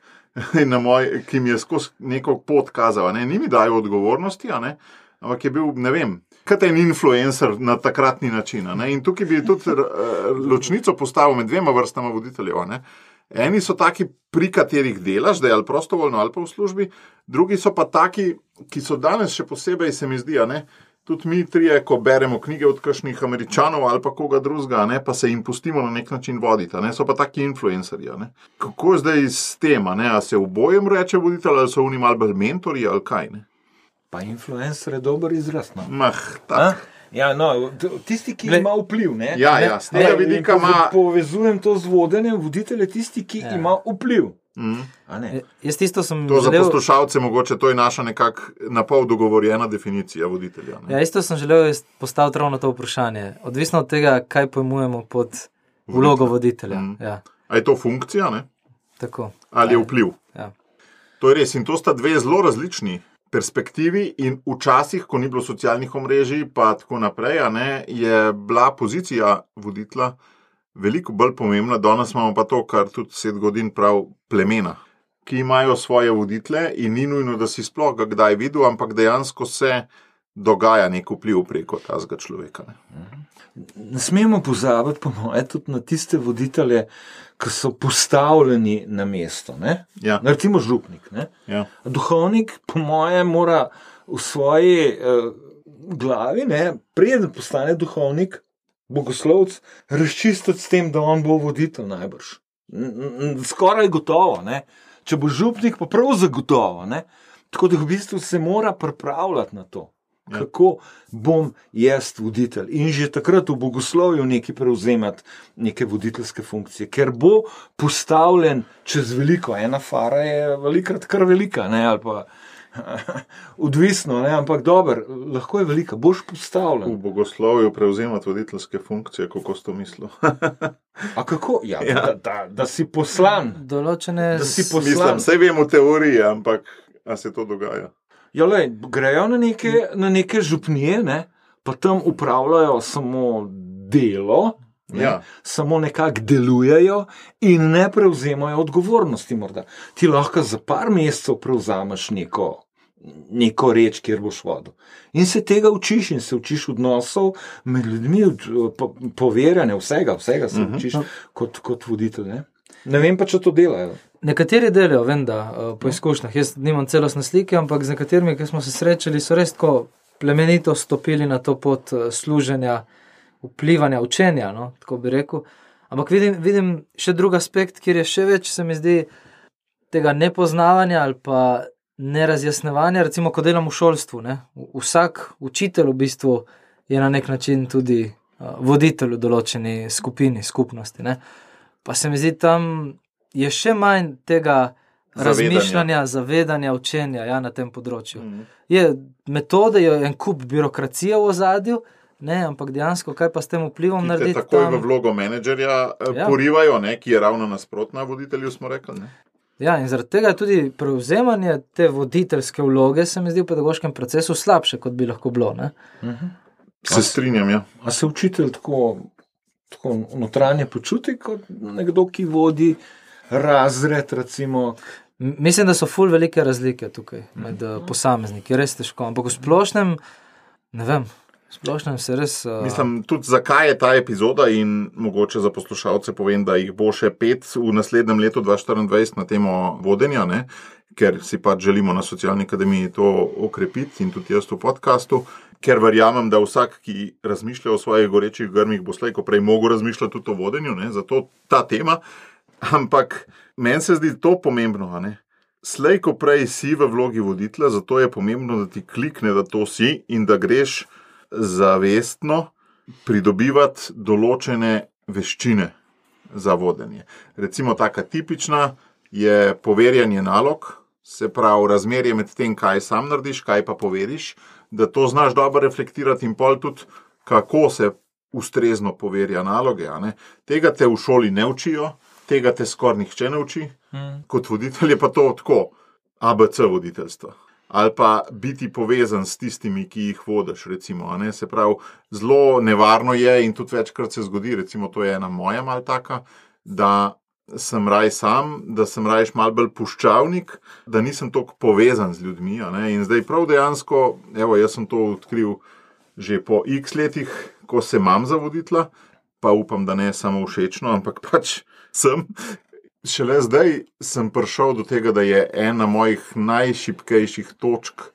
na moj, ki mi je skozi neko pot kazal, ne. Ni mi dajal odgovornosti, a ne. Ampak je bil, ne vem, kot en influencer na takratni način. Ne? In tukaj bi tudi ločnico postavil med dvema vrstama voditeljev. Ne? Eni so taki, pri katerih delaš, da je ali prostovoljno ali pa v službi, drugi so pa taki, ki so danes še posebej, se mi zdi, ne? Tudi mi trije, ko beremo knjige od kakšnih Američanov ali pa koga drugega, ne? Pa se jim pustimo na nek način voditi, ne? So pa taki influencerji. Ne? Kako je zdaj s tem, ne? A se v bojem reče voditelj, ali so oni malo bolj mentorji ali kaj, ne? Pa influencer je dober izraz, no. Mah, tak. Ja, no, tisti, ki Gle, ima vpliv, ne? Ja, ja, z tega vidika ima... Povezujem to z vodenjem, voditelj je tisti, ki ja. ima vpliv. Mm. A ne? Jaz tisto sem to želel... za poslušalce mogoče, to je naša nekak napol dogovorjena definicija voditelja. Ne? Ja, isto sem želel postaviti ravno to vprašanje. Odvisno od tega, kaj pojmujemo pod vlogo voditelja. Mm. Ja. A je to funkcija, ne? Tako. Ali je vpliv? Ja. To je res in to sta dve zelo različni perspektivi in včasih, ko ni bilo socialnih omrežij, pa tako naprej, a ne, je bila pozicija voditelja veliko bolj pomembna. Danes imamo pa to, kar tudi Seth Godin prav, plemena, ki imajo svoje voditelje in ni nujno, da si sploh ga kdaj videl, ampak dejansko se dogaja nek vpliv preko tazga človeka. Ne. Ne smemo pozabiti, po moje, tudi na tiste voditelje, ki so postavljeni na mesto. Ne? Ja. Recimo župnik. Ne? Ja. Duhovnik, po moje, mora v svoji eh, glavi, ne, preden postane duhovnik, bogoslovec, razčistiti s tem, da on bo voditelj najbrž. Skoraj gotovo. Ne? Če bo župnik, pa prav zagotovo. Ne? Tako da v bistvu se mora pripravljati na to. Ja. Kako bom jaz voditelj in že takrat v bogoslovju nekaj prevzemati neke voditeljske funkcije, ker bo postavljen čez veliko. Ena fara je velikrat kar velika, ne, ali pa odvisno, ne, ampak dober, lahko je velika, boš postavljen. V bogoslovju prevzemati voditeljske funkcije, kako si to mislil? A kako? Ja, ja. Da, da, da si poslan. Določene... Da si poslan. Mislim, vse vem v teoriji, ampak a se to dogaja? Ja, lej, grejo na neke, na neke župnije, ne, pa tam upravljajo samo delo, ne, ja. samo nekako delujejo in ne prevzemajo odgovornosti morda. Ti lahko za par mesecev prevzameš neko neko reč, kjer boš vodil. In se tega učiš in se učiš odnosov med ljudmi, po, poverjanja, vsega, vsega se učiš uh-huh. kot, kot voditelj. Ne? ne vem pa, če to delajo. Nekateri delajo, vem, da po izkušnjah. Jaz nimam celostne slike, ampak z nekaterimi, ki smo se srečali, so res tako plemenito stopili na to pot služenja, vplivanja, učenja, no, tako bi rekel. Ampak vidim, vidim še drug aspekt, kjer je še več, se mi zdi, tega nepoznavanja ali pa nerazjasnevanja, recimo, ko delam v šolstvu. Ne? Vsak učitelj v bistvu je na nek način tudi voditelj v določeni skupini, skupnosti. Ne? Pa se mi zdi, tam je še manj tega zavedanja. razmišljanja, zavedanja, učenja ja, na tem področju. Mm. Je metode, je en kup birokracije v ozadju, ne, ampak dejansko, kaj pa s tem vplivom narediti? Takoj tam... v vlogo menedžerja ja. porivajo, ne, ki je ravno nasprotna voditelju, smo rekli. Ne? Ja, in zaradi tega tudi prevzemanje te voditeljske vloge se mi zdi v pedagoškem procesu slabše, kot bi lahko bilo. Ne? Uh-huh. Se strinjam, ja. A se učitelj tako, tako notranje počuti kot nekdo, ki vodi razred, recimo? Mislim, da so ful velike razlike tukaj med uh, posamezniki, res težko, ampak v splošnem, ne vem, v splošnem se res... Uh... Mislim, tudi zakaj je ta epizoda in mogoče za poslušalce povem, da jih bo še pet v naslednjem letu dva tisoč štiriindvajset na temo vodenja, ne? Ker si pač želimo na Socialni akademiji to okrepiti in tudi jaz v podcastu, ker verjamem, da vsak, ki razmišlja o svojih gorečih grmih, bo slej, ko prej mogo razmišljati tudi o vodenju, ne? Zato ta tema. Ampak meni se zdi to pomembno, a ne? Slej, ko prej si v vlogi voditelja, zato je pomembno, da ti klikne, da to si in da greš zavestno pridobivati določene veščine za vodenje. Recimo taka tipična je poverjanje nalog, se pravi razmerje med tem, kaj sam narediš, kaj pa poveriš, da to znaš dobro reflektirati in pol tudi, kako se ustrezno poverja naloge. A ne? Tega te v šoli ne učijo, tega te skoraj nihče ne uči, hmm. kot voditelj je pa to tako, A B C voditeljstva. Ali pa biti povezan s tistimi, ki jih vodiš, recimo. A ne? Se pravi, zelo nevarno je in tudi večkrat se zgodi, recimo to je ena moja mal taka, da sem raj sam, da sem rajš mal bolj puščavnik, da nisem toliko povezan z ljudmi. A ne? In zdaj prav dejansko, evo, jaz sem to odkril že po x letih, ko se imam za voditla, pa upam, da ne samo všečno, ampak pač sem. Šele zdaj sem prišel do tega, da je ena mojih najšibkejših točk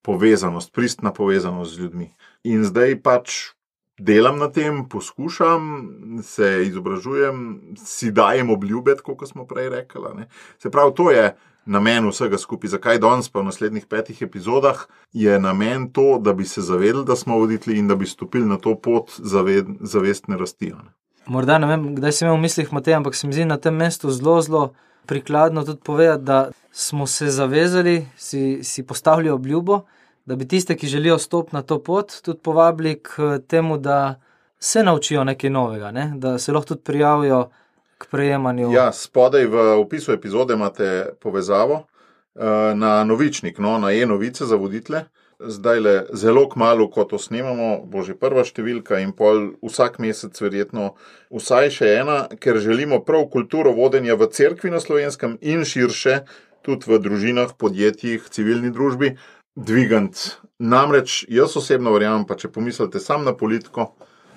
povezanost, pristna povezanost z ljudmi. In zdaj pač delam na tem, poskušam, se izobražujem, si dajem obljube, kot smo prej rekli. Ne? Se pravi, to je namen vsega skupaj. Zakaj danes pa v naslednjih petih epizodah je namen to, da bi se zavedali, da smo voditelji in da bi stopili na to pot zaved, zavestne rasti. Ne? Morda ne vem, kdaj sem imel v mislih Matej, ampak se mi zdi na tem mestu zelo, zelo prikladno tudi povedati, da smo se zavezali, si, si postavili obljubo, da bi tiste, ki želijo stopiti na to pot, tudi povabili k temu, da se naučijo nekaj novega, ne? Da se lahko tudi prijavijo k prejemanju. Ja, spodaj v opisu epizode imate povezavo na Novičnik, no, na e-novice za voditelje. Zdajle zelo kmalu, ko to snemamo, bo že prva številka in pol vsak mesec verjetno vsaj še ena, ker želimo prav kulturo vodenja v cerkvi na Slovenskem in širše, tudi v družinah, podjetjih, civilni družbi, dvigant. Namreč jaz osebno verjamem, pa če pomislite sam na politiko,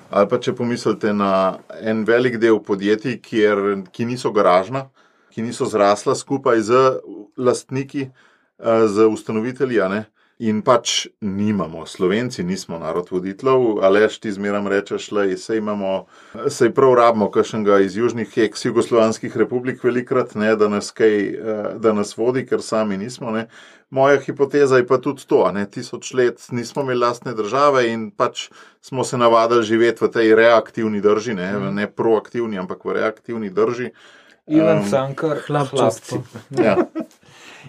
ali pa če pomislite na en velik del podjetij, kjer, ki niso garažna, ki niso zrasla skupaj z lastniki, z ustanovitelji, a ne? In pač nimamo, Slovenci nismo narod voditeljev, Aleš ti zmeram rečeš, lej, sej imamo, sej prav rabimo kakšnega iz južnih ex-jugoslovanskih republik velikrat, ne, da nas kaj, da nas vodi, ker sami nismo, ne. Moja hipoteza je pa tudi to, ne, tisoč let nismo imeli lastne države in pač smo se navadili živeti v tej reaktivni drži, ne, ne proaktivni, ampak v reaktivni drži. Ivan um, Cankar, hlapci. Ja.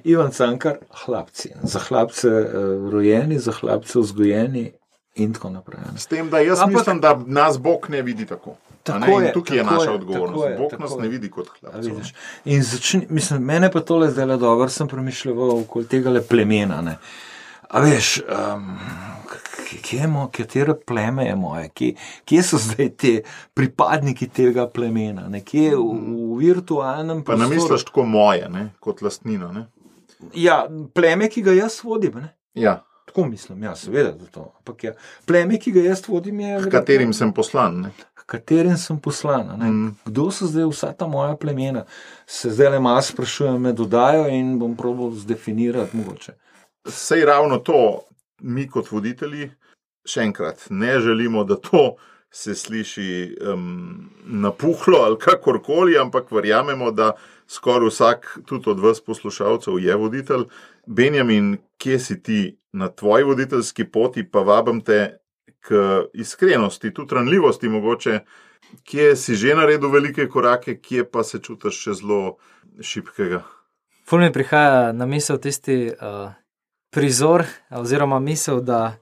Ivan Cankar, hlapci. Za hlapce uh, rojeni, za hlapce vzgojeni in tako naprej. S tem, da jaz Ampak, mislim, da nas Bog ne vidi tako. tako in je, tukaj je naša je, odgovornost. je, Bog nas je. ne vidi kot hlapcev. In začni, mislim, mene pa tole zdaj le dobro, sem premišljal okoli tega le plemena. Ne. A veš, um, kje je moje, katero pleme je moje, kje, kje so zdaj te pripadniki tega plemena, ne? Kje v, v virtualnem prostoru. Pa namisliš tako moje, ne? Kot lastnino, ne? Ja, pleme, ki ga jaz vodim, ne? Ja. Tako mislim, ja, seveda, da to. Ampak ja, pleme, ki ga jaz vodim, je... K katerim sem poslan, ne? K katerim sem poslan, ne? Mm. Kdo so zdaj vsa ta moja plemena? Se zdaj le malo sprašujem, me dodajo in bom probal zdefinirati mogoče. Sej ravno to, mi kot voditelji, še enkrat, ne želimo, da to se sliši um, napuhlo ali kakorkoli, ampak verjamemo, da skoraj vsak, tudi od vas poslušalcev, je voditelj. Benjamin, kje si ti na tvoji voditeljski poti, pa vabim te k iskrenosti, tudi ranljivosti mogoče, kje si že naredil velike korake, kje pa se čutiš še zelo šibkega? Ful mi prihaja na misel tisti uh, prizor, oziroma misel, da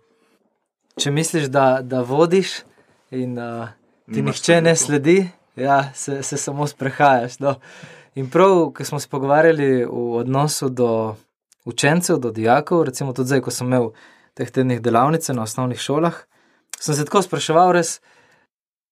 če misliš, da, da vodiš in uh, ti nihče ne sledi, ja, se, se samo sprehajaš. No. In prav, ko smo se pogovarjali v odnosu do učencev, do dijakov, recimo tudi zdaj, ko sem imel teh tednih delavnice na osnovnih šolah, sem se tako spraševal res,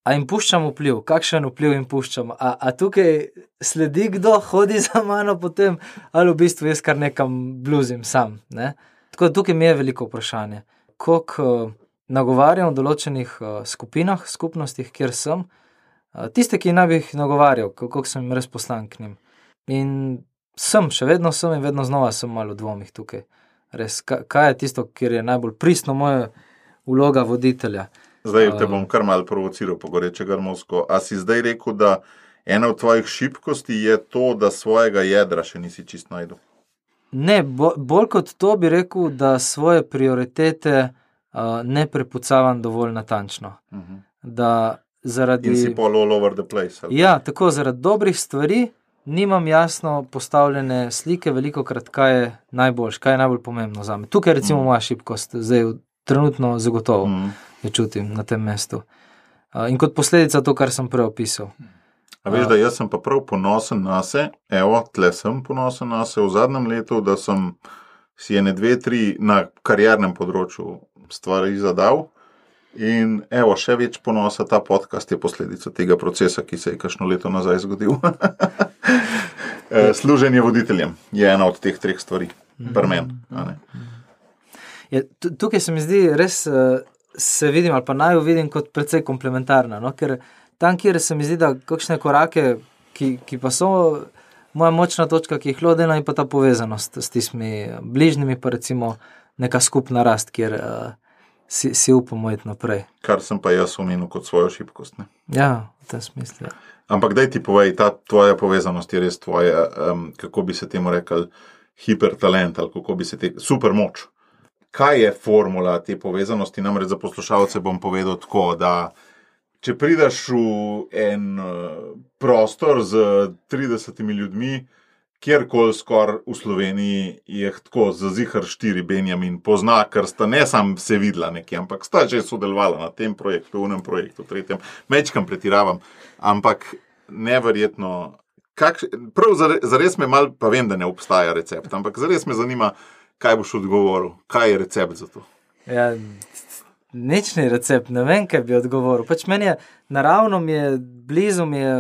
a jim puščam vpliv, kakšen vpliv jim puščam, a, a tukaj sledi kdo, hodi za mano potem, ali v bistvu jaz kar nekam bluzim sam. Ne? Tako da tukaj mi je veliko vprašanje, koliko uh, nagovarjam v določenih uh, skupinah, skupnostih, kjer sem, uh, tiste, ki naj bi jih nagovarjal, koliko sem jim res poslan k njim. In sem, še vedno sem in vedno znova sem malo v dvomih tukaj. Res, kaj je tisto, kjer je najbolj pristno moja vloga voditelja? Zdaj te bom kar malo provociral po goreče grmovsko. A si zdaj rekel, da ena od tvojih šibkosti je to, da svojega jedra še nisi čist najdel? Ne, bo, bolj kot to bi rekel, da svoje prioritete uh, ne prepucavam dovolj natančno. Uh-huh. Da zaradi... In si pol all over the place. Ali? Ja, tako, zaradi dobrih stvari nimam jasno postavljene slike, veliko krat, kaj je najboljš, kaj je najbolj pomembno za me. Tukaj je recimo mm. moja šibkost, zdaj trenutno zagotovo mm. jo čutim na tem mestu. Uh, in kot posledica to, kar sem prej opisal. A veš, da jaz sem pa prav ponosen na se, evo, tle sem ponosen na se v zadnjem letu, da sem si ene dve, tri na kariernem področju stvari zadal. In evo, še več ponosa, ta podcast je posledica tega procesa, ki se je kakšno leto nazaj zgodil. Služenje voditeljem je ena od teh treh stvari, pri meni. Ja, tukaj se mi zdi res, se vidim ali pa naj vidim kot precej komplementarna, no? Ker tam, kjer se mi zdi, da kakšne korake, ki, ki pa so moja močna točka, ki jih lodena, in pa ta povezanost s tistimi bližnjimi, pa recimo neka skupna rast, kjer uh, Si, si upamo iti naprej. Kar sem pa jaz omenil kot svojo šibkost. Ne? Ja, v tem smislu. Ja. Ampak daj ti povej, ta tvoja povezanost je res tvoja, um, kako bi se temu rekel, hipertalent ali kako bi se te, super moč. Kaj je formula te povezanosti? Namreč za poslušalce bom povedal tako, da če prideš v en prostor z tridesetimi ljudmi, kjerkoli skor v Sloveniji je tako zazihar štiri Benjamin pozna, ker sta ne sam se videla nekje, ampak sta že sodelovala na tem projektu, v enem projektu, tretjem, mečkam pretiravam, ampak neverjetno, kak, prav zares me mal, pa vem, da ne obstaja recept, ampak zares me zanima, kaj boš odgovoril, kaj je recept za to? Ja, nič ni recept, ne vem, kaj bi odgovoril, pač meni je, naravno mi je, blizu mi je,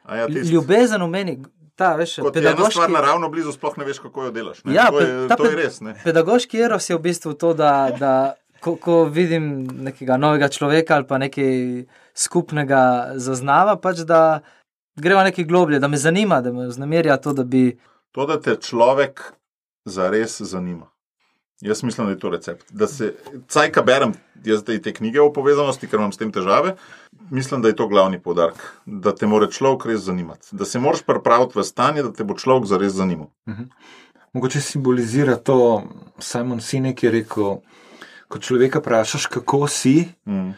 ja, ljubezen v meni. Ta, veš, kot pedagoški... je ena stvar naravno blizu, sploh ne veš, kako jo delaš. Ne? Ja, to je, ta, to je res. Ne? Pedagoški eros je v bistvu to, da, da ko, ko vidim nekega novega človeka ali pa nekaj skupnega zaznava, pač da greva nekaj globlje, da me zanima, da me vznemirja to, da bi... To, da te človek zares zanima. Jaz mislim, da je to recept. Da se, caj, ka berem jaz te knjige o povezanosti, ker imam s tem težave, mislim, da je to glavni poudarek. Da te mora človek res zanimati. Da se moraš pripraviti v stanje, da te bo človek zares zanimal. Mhm. Mogoče simbolizira to Simon Sinek, ki je rekel, ko človeka vprašaš, kako si, mm.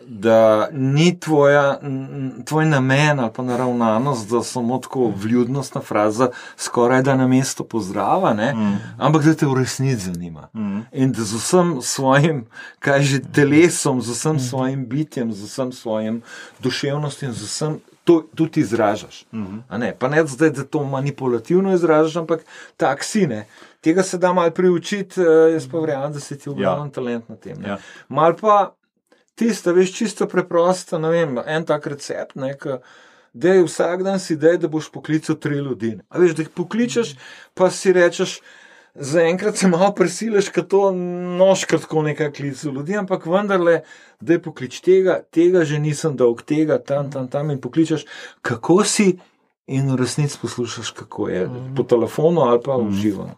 da ni tvoja, tvoj namen ali pa naravnanost, da samo tako vljudnostna fraza skoraj da na mesto pozdrava, ne? Mm. Ampak da te v resnici zanima. Mm. In da z vsem svojim, kaj že telesom, z vsem svojim bitjem, z vsem svojim duševnostjem, z vsem to tudi izražaš. Mm-hmm. A ne? Pa ne zdaj, da to manipulativno izražaš, ampak tak si, ne. Tega se da malo priučiti, jaz pa verjamem, da se ti v glavnem ja. talent na tem. Ja. Mal pa tista, veš, čisto preprosta, ne vem, en tak recept, ne, ka, dej vsak dan si dej, da boš poklical tri ljudi. A veš, da jih pokličeš, pa si rečeš, zaenkrat se malo prisiliš, ker to noška tako nekaj klicu ljudi, ampak vendarle, da je poklič tega, tega že nisem dolg, tega, tam, tam, tam in pokličeš, kako si in v resnici poslušaš, kako je, po telefonu ali pa v živo.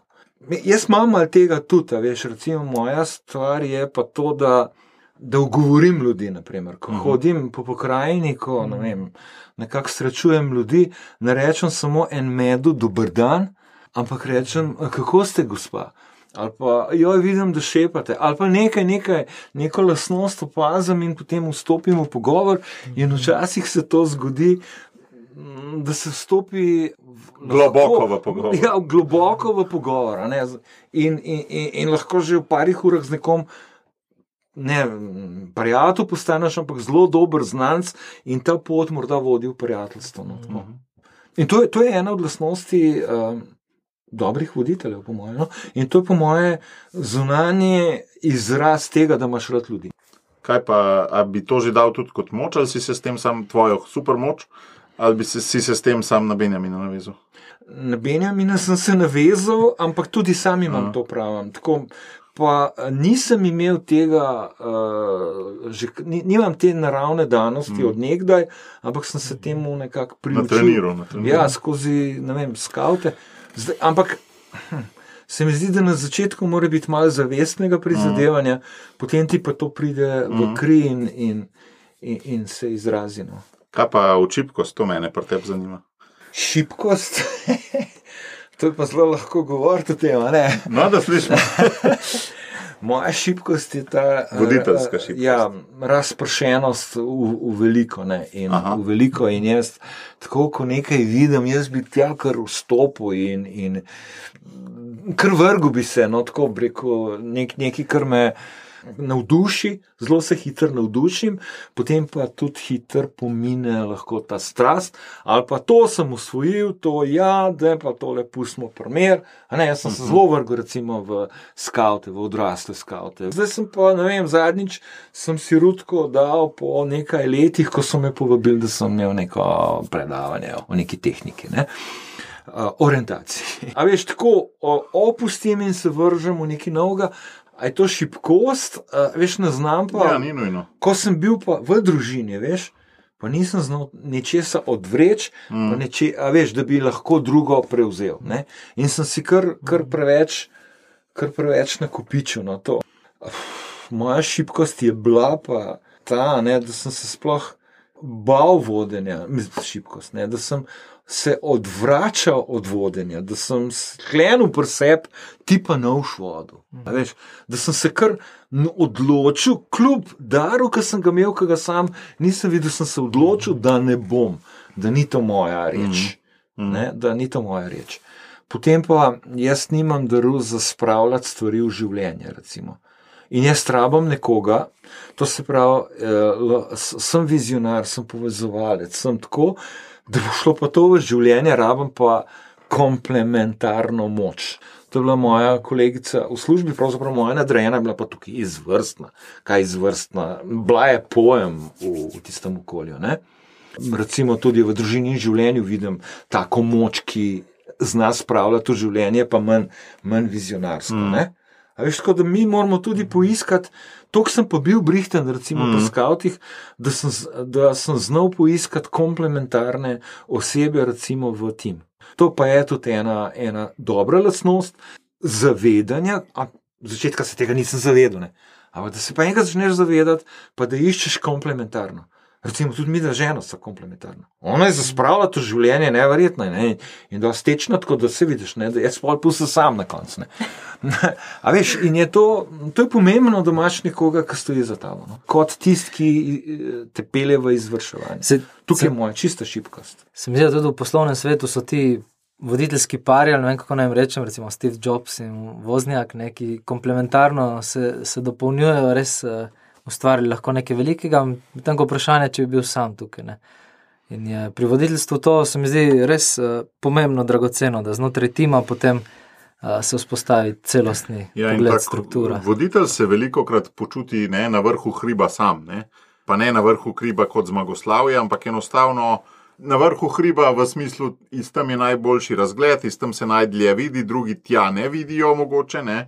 Jaz imam malo tega tudi, a veš, recimo moja stvar je pa to, da, da ugovorim ljudi, naprimer, ko hodim po pokrajini, ko, ne vem, nekako srečujem ljudi, ne rečem samo en medu, dober dan, ampak rečem, kako ste, gospa? Ali pa, joj, vidim, da šepate, ali pa nekaj, nekaj, neko lastnost opazim in potem vstopim v pogovor in včasih se to zgodi, da se vstopi globoko v pogovor. Ja, globoko v pogovor. Ne? In, in, in, in lahko že v parih urah z nekom ne, prijatelj postaneš, ampak zelo dober znanc in ta pot morda vodi v prijateljstvo. No, mm-hmm. In to je, to je ena od lastnosti um, dobrih voditeljev, po mojem. No? In to je po moje zunanje izraz tega, da imaš rad ljudi. Kaj pa, a bi to že dal tudi kot moč, ali si se s tem sam tvojo super moč, ali bi se, si se s tem sam na Benjamina navezal? Na Benjamina sem se navezal, ampak tudi sam imam Aha. to pravim. Tako, pa nisem imel tega, uh, že, nimam te naravne danosti mm. od nekdaj, ampak sem se temu nekako priučil. Natreniral, natreniral. Ja, skozi, ne vem, skavte. Zdaj, ampak hm, se mi zdi, da na začetku mora biti malo zavestnega prizadevanja, mm. potem ti pa to pride v kri in, in, in, in se izrazi. No. Kaj pa v šibkost, to mene pri tebi zanima? Šibkost? To je pa zelo lahko govoriti o tem, ne? No, da slišimo. Moja šibkost je ta voditeljska šibkost. Ja, razpršenost v, v veliko, ne? In Aha. v veliko in jaz, tako ko nekaj vidim, jaz bi tja kar vstopil in, in kar vrgu bi se, no, tako rekel, nek, nekaj, kar me navduši, zelo se hitro navdušim, potem pa tudi hitro pomine lahko ta strast, ali pa to sem usvojil, to ja, da pa tole pustimo primer, a ne, jaz sem se zelo vrgel recimo v skavte, v odrasle skavte. Zdaj sem pa, ne vem, zadnjič sem si Rutko dal po nekaj letih, ko so me povabili, da sem imel neko predavanje o neki tehniki, ne. Uh, orientaciji. A veš, tako opustim in se vržem v nekaj novega. A je to šibkost, uh, veš, ne znam pa, ja, ni nujno. Ko sem bil pa v družini, veš, pa nisem znal nečesa odvreč, mm. pa neče, a veš, da bi lahko drugo prevzel, ne, in sem si kar, kar preveč, kar preveč nakopičil na to. Uf, moja šibkost je bila pa ta, ne, da sem se sploh bal vodenja, mislim, šibkost, ne, da sem se odvračal od vodenja, da sem sklenil pri sebi, ti pa ne v vodu. Veš, da sem se kar odločil, kljub daru, ki sem ga imel, ki ga sam nisem videl, sem se odločil, da ne bom, da ni to moja reč. Mm. Ne, da ni to moja reč. Potem pa jaz nimam daru za spravljati stvari v življenje, recimo. In jaz rabam nekoga, to se pravi, eh, sem vizionar, sem povezovalec, sem tako, da bo šlo pa to v življenje, rabam pa komplementarno moč. To je bila moja kolegica v službi, pravzaprav moja nadrejena, bila pa tukaj izvrstna. Kaj izvrstna? Bila je pojem v, v tistem okolju. Ne? Recimo tudi v družini in življenju vidim tako moč, ki zna spravljati v življenje, pa manj, manj vizionarsko. Mm. Ne? A veš, tako da mi moramo tudi poiskati, toliko sem pa bil brihten, recimo mm. po skavtih, da sem, da sem znal poiskati komplementarne osebe, recimo v tim. To pa je tudi ena, ena dobra lastnost zavedanja, a v začetka se tega nisem zavedal, ne. Ampak da se pa enkrat začneš zavedati, pa da iščeš komplementarno. Recimo tudi mi, da žena sta komplementarna. Ona je zaspravila to življenje, neverjetno, ne? In da stečna, tako da se vidiš, ne? Da jaz pol pustil sam na koncu. Ne? A veš, in je to, to je pomembno, da imaš nekoga, ki stoji za tabo. No? Kot tist, ki te pelje v izvrševanje. Se, Tukaj se, je moja čista šibkost. Se mi zdi, da tudi v poslovnem svetu so ti voditeljski pari, ali ne vem, kako naj jim rečem, recimo Steve Jobs in Voznjak, ne, ki komplementarno se, se dopolnjujejo, res ustvarili lahko nekaj velikega, medtem ko vprašanje, če bi bil sam tukaj. Ne. In je pri voditeljstvu to se mi zdi res uh, pomembno, dragoceno, da znotraj tima potem uh, se vzpostavi celostni ja, pogled, struktura. Voditelj se velikokrat počuti ne, na vrhu hriba sam, ne. Pa ne na vrhu hriba kot zmagoslavje, ampak enostavno na vrhu hriba v smislu, iz tam je najboljši razgled, iz tam se najdlje vidi, drugi tja ne vidijo mogoče, ne,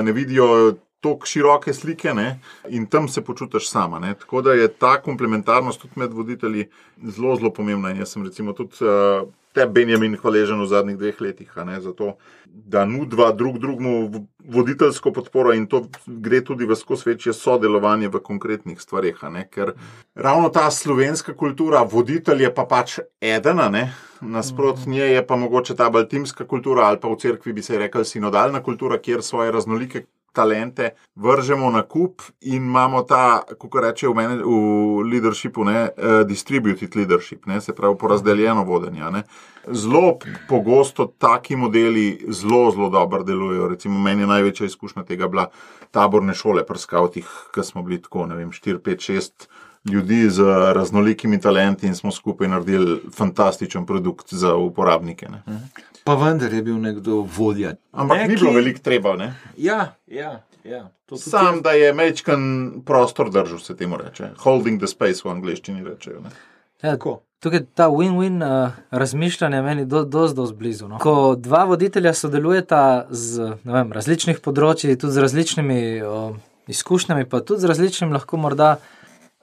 ne vidijo toliko široke slike, ne, in tam se počutiš sama, ne. Tako da je ta komplementarnost tudi med voditelji zelo, zelo pomembna. In jaz sem recimo tudi uh, te Benjamin hvaležen v zadnjih dveh letih, a ne, zato, da nudva drug drugmu voditeljsko podporo in to gre tudi v skozi večje sodelovanje v konkretnih stvareh, a ne, ker ravno ta slovenska kultura, voditelj je pa pač eden, a ne, nasprot nje je pa mogoče ta bolj timska kultura ali pa v cerkvi bi se rekel sinodalna kultura, kjer svoje raznolike talente vržemo na kup in imamo ta, kako reče v, meni, v leadershipu, ne, uh, distributed leadership, ne, se pravi porazdeljeno vodenje. Ne. Zelo pogosto taki modeli zelo, zelo dobro delujejo. Recimo meni je največja izkušnja tega bila taborne šole pri skavtih, ki smo bili tako, ne vem, štiri, pet, šest ljudi z raznolikimi talenti in smo skupaj naredili fantastičen produkt za uporabnike. Ne. Pa vendar je bil nekdo vodja. Ampak Neki... ni bilo veliko treba, ne? Ja, ja, ja. Sam, je... da je mečkan prostor držal, se temu reče. Holding the space v angleščini rečejo, ne? Ja, tukaj ta win-win uh, razmišljanje meni do, dosti, dosti blizu. No? Ko dva voditelja sodelujeta z, ne vem, različnih področji, tudi z različnimi uh, izkušnjami, pa tudi z različnim lahko morda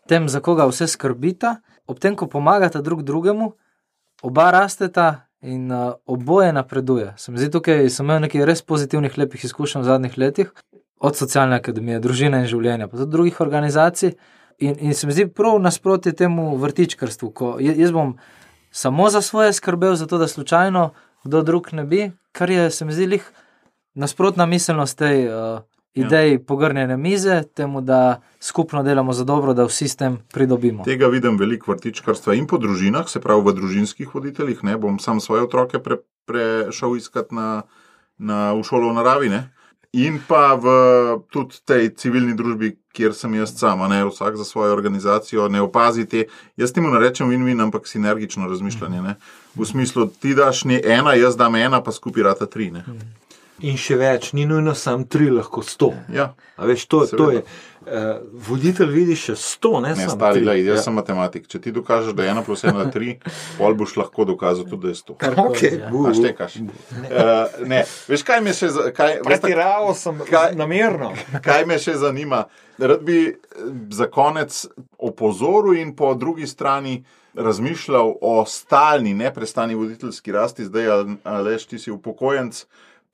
tem, za koga vse skrbita, ob tem, ko pomagata drug drugemu, oba rasteta in uh, oboje napreduje. Sem zdi tukaj, sem imel nekaj res pozitivnih, lepih izkušenj v zadnjih letih, od socialne akademije, družine in življenja, pa tudi drugih organizacij. In, in se mi zdi prav nasprotje temu vrtičkarstvu, ko jaz bom samo za svoje skrbel, zato da slučajno kdo drug ne bi, kar je, se mi zdi, lih nasprotna miselnost tej uh, ideji ja. Pogrnjene mize, temu, da skupno delamo za dobro, da vsi s tem pridobimo. Tega vidim veliko vrtičkarstva in po družinah, se pravi v družinskih voditeljih, ne, bom sam svoje otroke pre, prešel iskat na, na, v šolo v naravi, ne, in pa v tudi tej civilni družbi, kjer sem jaz sama, ne, vsak za svojo organizacijo, ne opazite, jaz temu narečem win-win, ampak sinergično razmišljanje, ne, v smislu, ti daš ne ena, jaz dam ena, pa skupaj rata tri, ne. In še več, ni nujno sam tri, lahko sto. Ja. A veš, to, to je, uh, voditelj vidi še sto, ne, ne sam stari, tri. Lej, jaz ja. sem matematik. Če ti dokažeš, da je ena plus ena tri, pol boš lahko dokazal tudi, da je sto. Okay. A štekaš. Uh, ne, veš, kaj me še... Pretiraval sem kaj, namerno. Kaj me še zanima? Rad bi za konec opozoril in po drugi strani razmišljal o stalni, neprestani voditeljski rasti. Zdaj, Aleš, ti si upokojenc,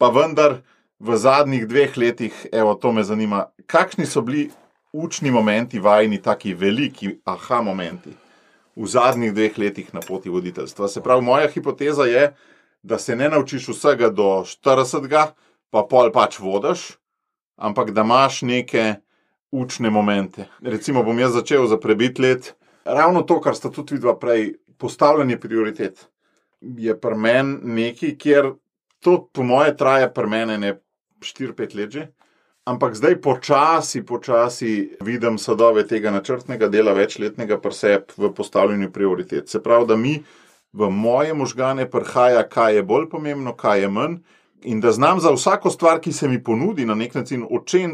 pa vendar v zadnjih dveh letih, evo, to me zanima, kakšni so bili učni momenti vajni, taki veliki aha momenti v zadnjih dveh letih na poti voditeljstva. Se pravi, moja hipoteza je, da se ne naučiš vsega do štiridesetega, pa pol pač vodiš, ampak da imaš neke učne momente. Recimo bom jaz začel za prebit let, ravno to, kar sta tudi vidva prej, postavljanje prioritet, je pri meni nekaj, kjer to po moje traje pri mene ne štiri pet let že, ampak zdaj počasi, počasi vidim sadove tega načrtnega dela večletnega pri sebi v postavljanju prioritet. Se pravi, da mi v moje možgane prihaja, kaj je bolj pomembno, kaj je manj, in da znam za vsako stvar, ki se mi ponudi na nek način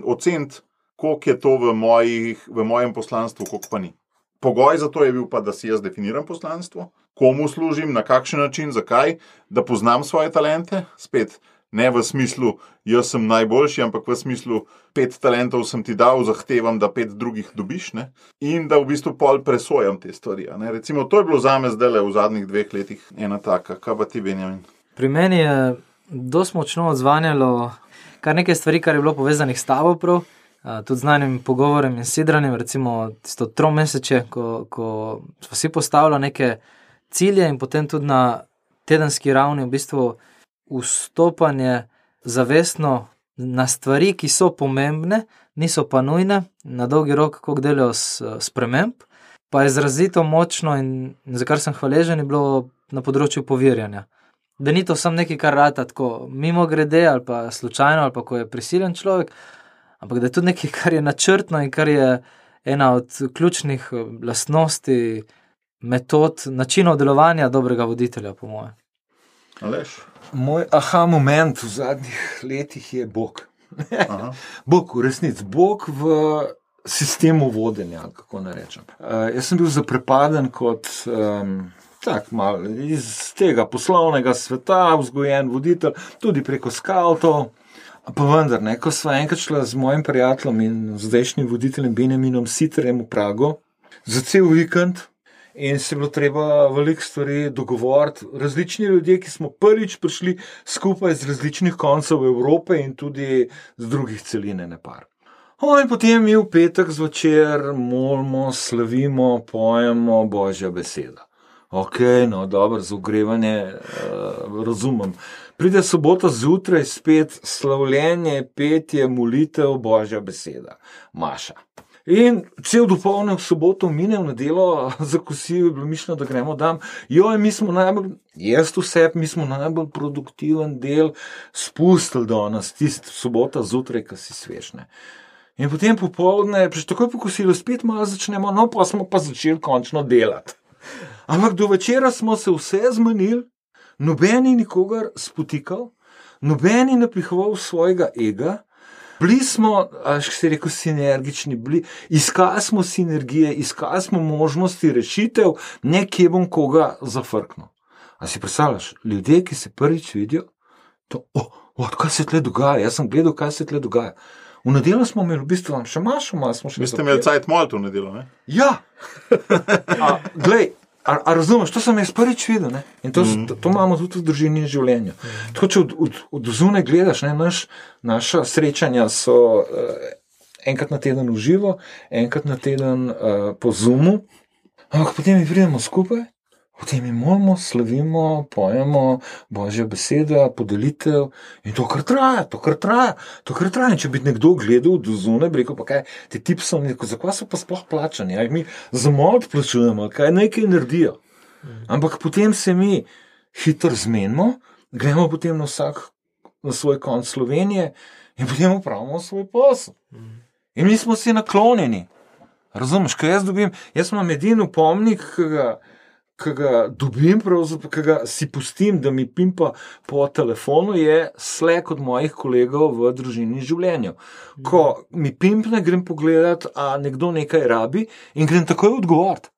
oceniti, koliko je to v, mojih, v mojem poslanstvu, koliko pa ni. Pogoj za to je bil pa, da si jaz definiram poslanstvo, komu služim, na kakšen način, zakaj, da poznam svoje talente, spet ne v smislu, jaz sem najboljši, ampak v smislu, pet talentov sem ti dal, zahtevam, da pet drugih dobiš, ne? In da v bistvu pol presojam te stvari. Ne? Recimo, to je bilo zame zdaj v zadnjih dveh letih ena taka. Kaj pa ti, Benjamin? Pri meni je dosti močno odzvanjalo kar nekaj stvari, kar je bilo povezanih s tabo prav, Uh, tudi znanim pogovorem in sidranjem, recimo tisto tromeseče, ko, ko smo si postavili neke cilje in potem tudi na tedenski ravni v bistvu vstopanje zavestno na stvari, ki so pomembne, niso pa nujne, na dolgi rok, koliko delajo sprememb, pa je izrazito močno in za kar sem hvaležen, je bilo na področju povirjanja. Da ni to samo nekaj, kar rata tako mimo grede ali pa slučajno ali pa ko je prisiljen človek, ampak da je tudi nekaj, kar je načrtno in kar je ena od ključnih lastnosti, metod, načinov delovanja dobrega voditelja, po moje. Aleš? Moj aha moment v zadnjih letih je Bog. Bog, v resnici, Bog v sistemu vodenja, kako ne rečem. Uh, jaz sem bil zaprepaden kot um, tak mal iz tega poslovnega sveta, vzgojen voditelj, tudi preko skavtov. Pa vendar, ne, ko sva enkrat šla z mojim prijateljem in zdajšnjim voditeljem Benjaminom Sitterjem v Prago za cel vikend in se je bilo treba veliko stvari dogovoriti. Različni ljudje, ki smo prvič prišli skupaj z različnih koncev Evrope in tudi z drugih celine nepar. O, in potem mi v petek zvečer molimo, slavimo, pojemo Božja beseda. Ok, no, dobro, za ogrevanje uh, razumem. Pride sobota zjutraj spet slavljenje, petje, molitev, Božja beseda. Maša. In cel dopolne v soboto mine v nedelo, za kosilo je bilo mišljeno, da gremo dam. Joj, mi smo najbolj, jaz vse, mi smo najbolj produktiven del spustili do nas, tist sobota zjutraj, ko si svešne. In potem popoldne, priš takoj po kosilu, spet malo začnemo, no pa smo pa začeli končno delati. Ampak do večera smo se vse zmanili, nobeni nikogar spotikal, nobeni napihoval svojega ega, bili smo, až se rekel, sinergični, bili, iskali smo sinergije, iskali smo možnosti rešitev, nekje bom koga zafrknil. A si predstavljaš, ljudje, ki se prvič vidijo, to, o, o, kaj se tle dogaja, jaz sem gledal, kaj se tle dogaja. V nedelo smo imeli, v bistvu, še mašo, malo smo še... Vi ste imeli cajt molt v nedelo, ne? Ja! A, glej, a, a razumeš, to sem jaz prvič videl, ne? In to, mm. to, to imamo tudi v družini in življenju. Mm. Tako, če od, od, od zunaj gledaš, ne, naš, naša srečanja so uh, enkrat na teden v živo, enkrat na teden uh, po Zoomu, ampak potem mi pridemo skupaj, potem mi molimo, slavimo, pojemo Božja beseda, podelitev in to kar traja, to kar traja, to kar traja. In če bi nekdo gledal do zunaj, bi rekel, pa kaj, te tipi so, zakaj so pa sploh plačani, aj mi za molt plačujemo, kaj nekaj naredijo. Ampak potem se mi hitro zmenimo, gremo potem na vsak, na svoj konc Slovenije in potem upravimo svoj posel. In mi smo si naklonjeni. Razumeš, kaj jaz dobim, jaz imam edin upomnik, ki ga ki ga dobim, ki ga si pustim, da mi pimpa po telefonu, je Slack od mojih kolegov v družini in življenju. Ko mi pimpne, grem pogledat, a nekdo nekaj rabi in grem takoj odgovoriti.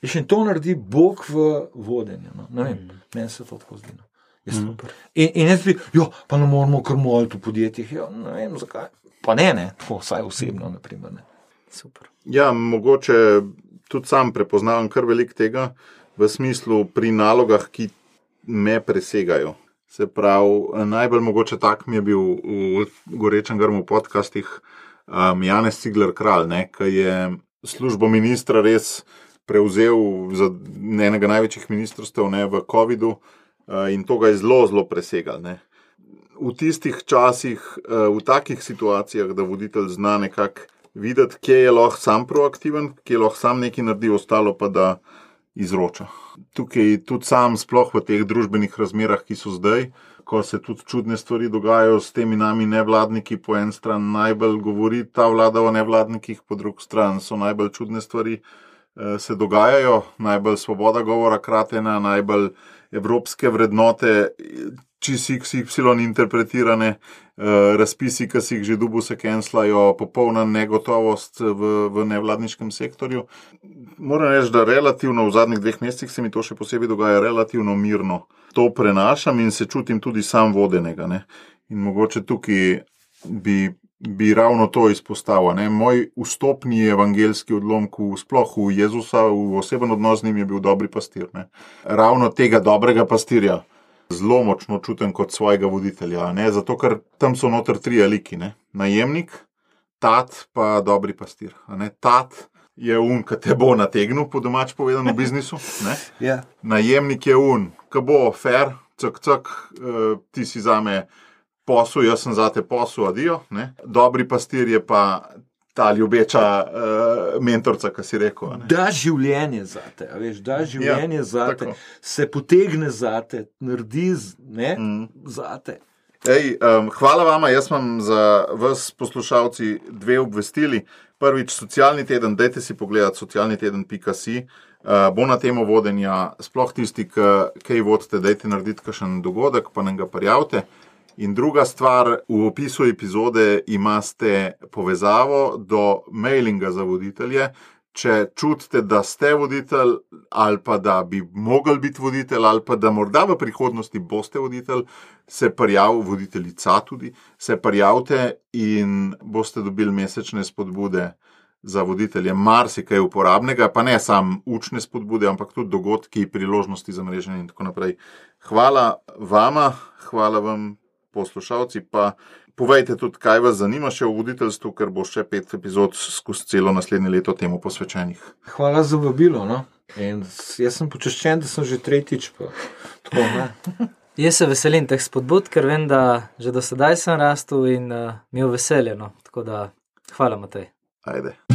In to naredi Bog v vodenju. No? Ne vem, meni se to tako zdi. No? In, in jaz bi, jo, pa ne moramo kar moliti v podjetjih, jo, ne vem zakaj. Pa ne, ne, tako vsaj osebno, naprimer, ne. Super. Ja, mogoče tudi sam prepoznavam kar veliko tega, v smislu pri nalogah, ki me presegajo. Se pravi, najbolj mogoče tak mi je bil v Gorečem grmu podcastih um, Janez Cigler Kralj, ne, ki je službo ministra res prevzel za enega največjih ministrstev, ne, v covidu uh, in to ga je zelo, zelo presegal. Ne. V tistih časih, uh, v takih situacijah, da voditelj zna nekako videti, kje je lahko sam proaktiven, kje je lahko sam nekaj naredi, ostalo pa da izroča. Tukaj tudi sam, sploh v teh družbenih razmerah, ki so zdaj, ko se tudi čudne stvari dogajajo s temi nami nevladniki, po en stran najbolj govori ta vlada o nevladnikih, po drug stran so najbolj čudne stvari eh, se dogajajo, najbolj svoboda govora kratena, najbolj evropske vrednote, čisi iks ipsilon interpretirane, eh, razpisi, ki si jih že dubu se kenslajo, popolna negotovost v, v nevladniškem sektorju. Moram reči, da relativno v zadnjih dveh mesecih se mi to še posebej dogaja relativno mirno. To prenašam in se čutim tudi sam vodenega. Ne? In mogoče tukaj bi, bi ravno to izpostavil. Ne? Moj vstopni evangeljski odlomk v sploh v Jezusa, v oseben odnos z njim je bil dobri pastir. Ne? Ravno tega dobrega pastirja zelo močno čutim kot svojega voditelja. Ne? Zato, ker tam so noter tri liki. Ne? Najemnik, tat pa dobri pastir. Ne? Tat je un, ki te bo nategnil, po domač povedano, v biznisu. Ne? Yeah. Najemnik je un, ki bo fair, cak, cak, uh, ti si zame posel, jaz sem zate posel, adijo. Ne? Dobri pastir je pa ta ljubeča uh, mentorca, ki si rekel. Ne? Da življenje zate, a veš, da življenje ja, zate, tako. Se potegne zate, naredi ne, mm. zate. Ej, um, hvala vama, jaz imam za vas poslušalci dve obvestili. Prvič, socialni teden, dajte si pogledati socialni teden pika si, uh, bo na temo vodenja, sploh tisti, ki kaj vodite, dajte narediti kakšen dogodek, pa nam ga prijavite. In druga stvar, v opisu epizode imate povezavo do mailinga za voditelje. če čutite, da ste voditelj ali pa da bi mogli biti voditelj ali pa da morda v prihodnosti boste voditelj, se prijavite, voditeljica tudi, se prijavite in boste dobili mesečne spodbude za voditelje, marsikaj uporabnega, pa ne samo učne spodbude, ampak tudi dogodki, priložnosti za mreženje in tako naprej. Hvala vama, hvala vam poslušalci, pa povejte tudi, kaj vas zanima še o voditeljstvu, ker bo še pet epizod skozi celo naslednje leto temu posvečenih. Hvala za vabilo, no. In jaz sem počaščen, da sem že tretjič, pa tako, ne. Jaz se veselim teh spodbud, ker vem, da že do sedaj sem rastel in uh, mi je veselje, no. Tako da, hvala, Matej. Ajde.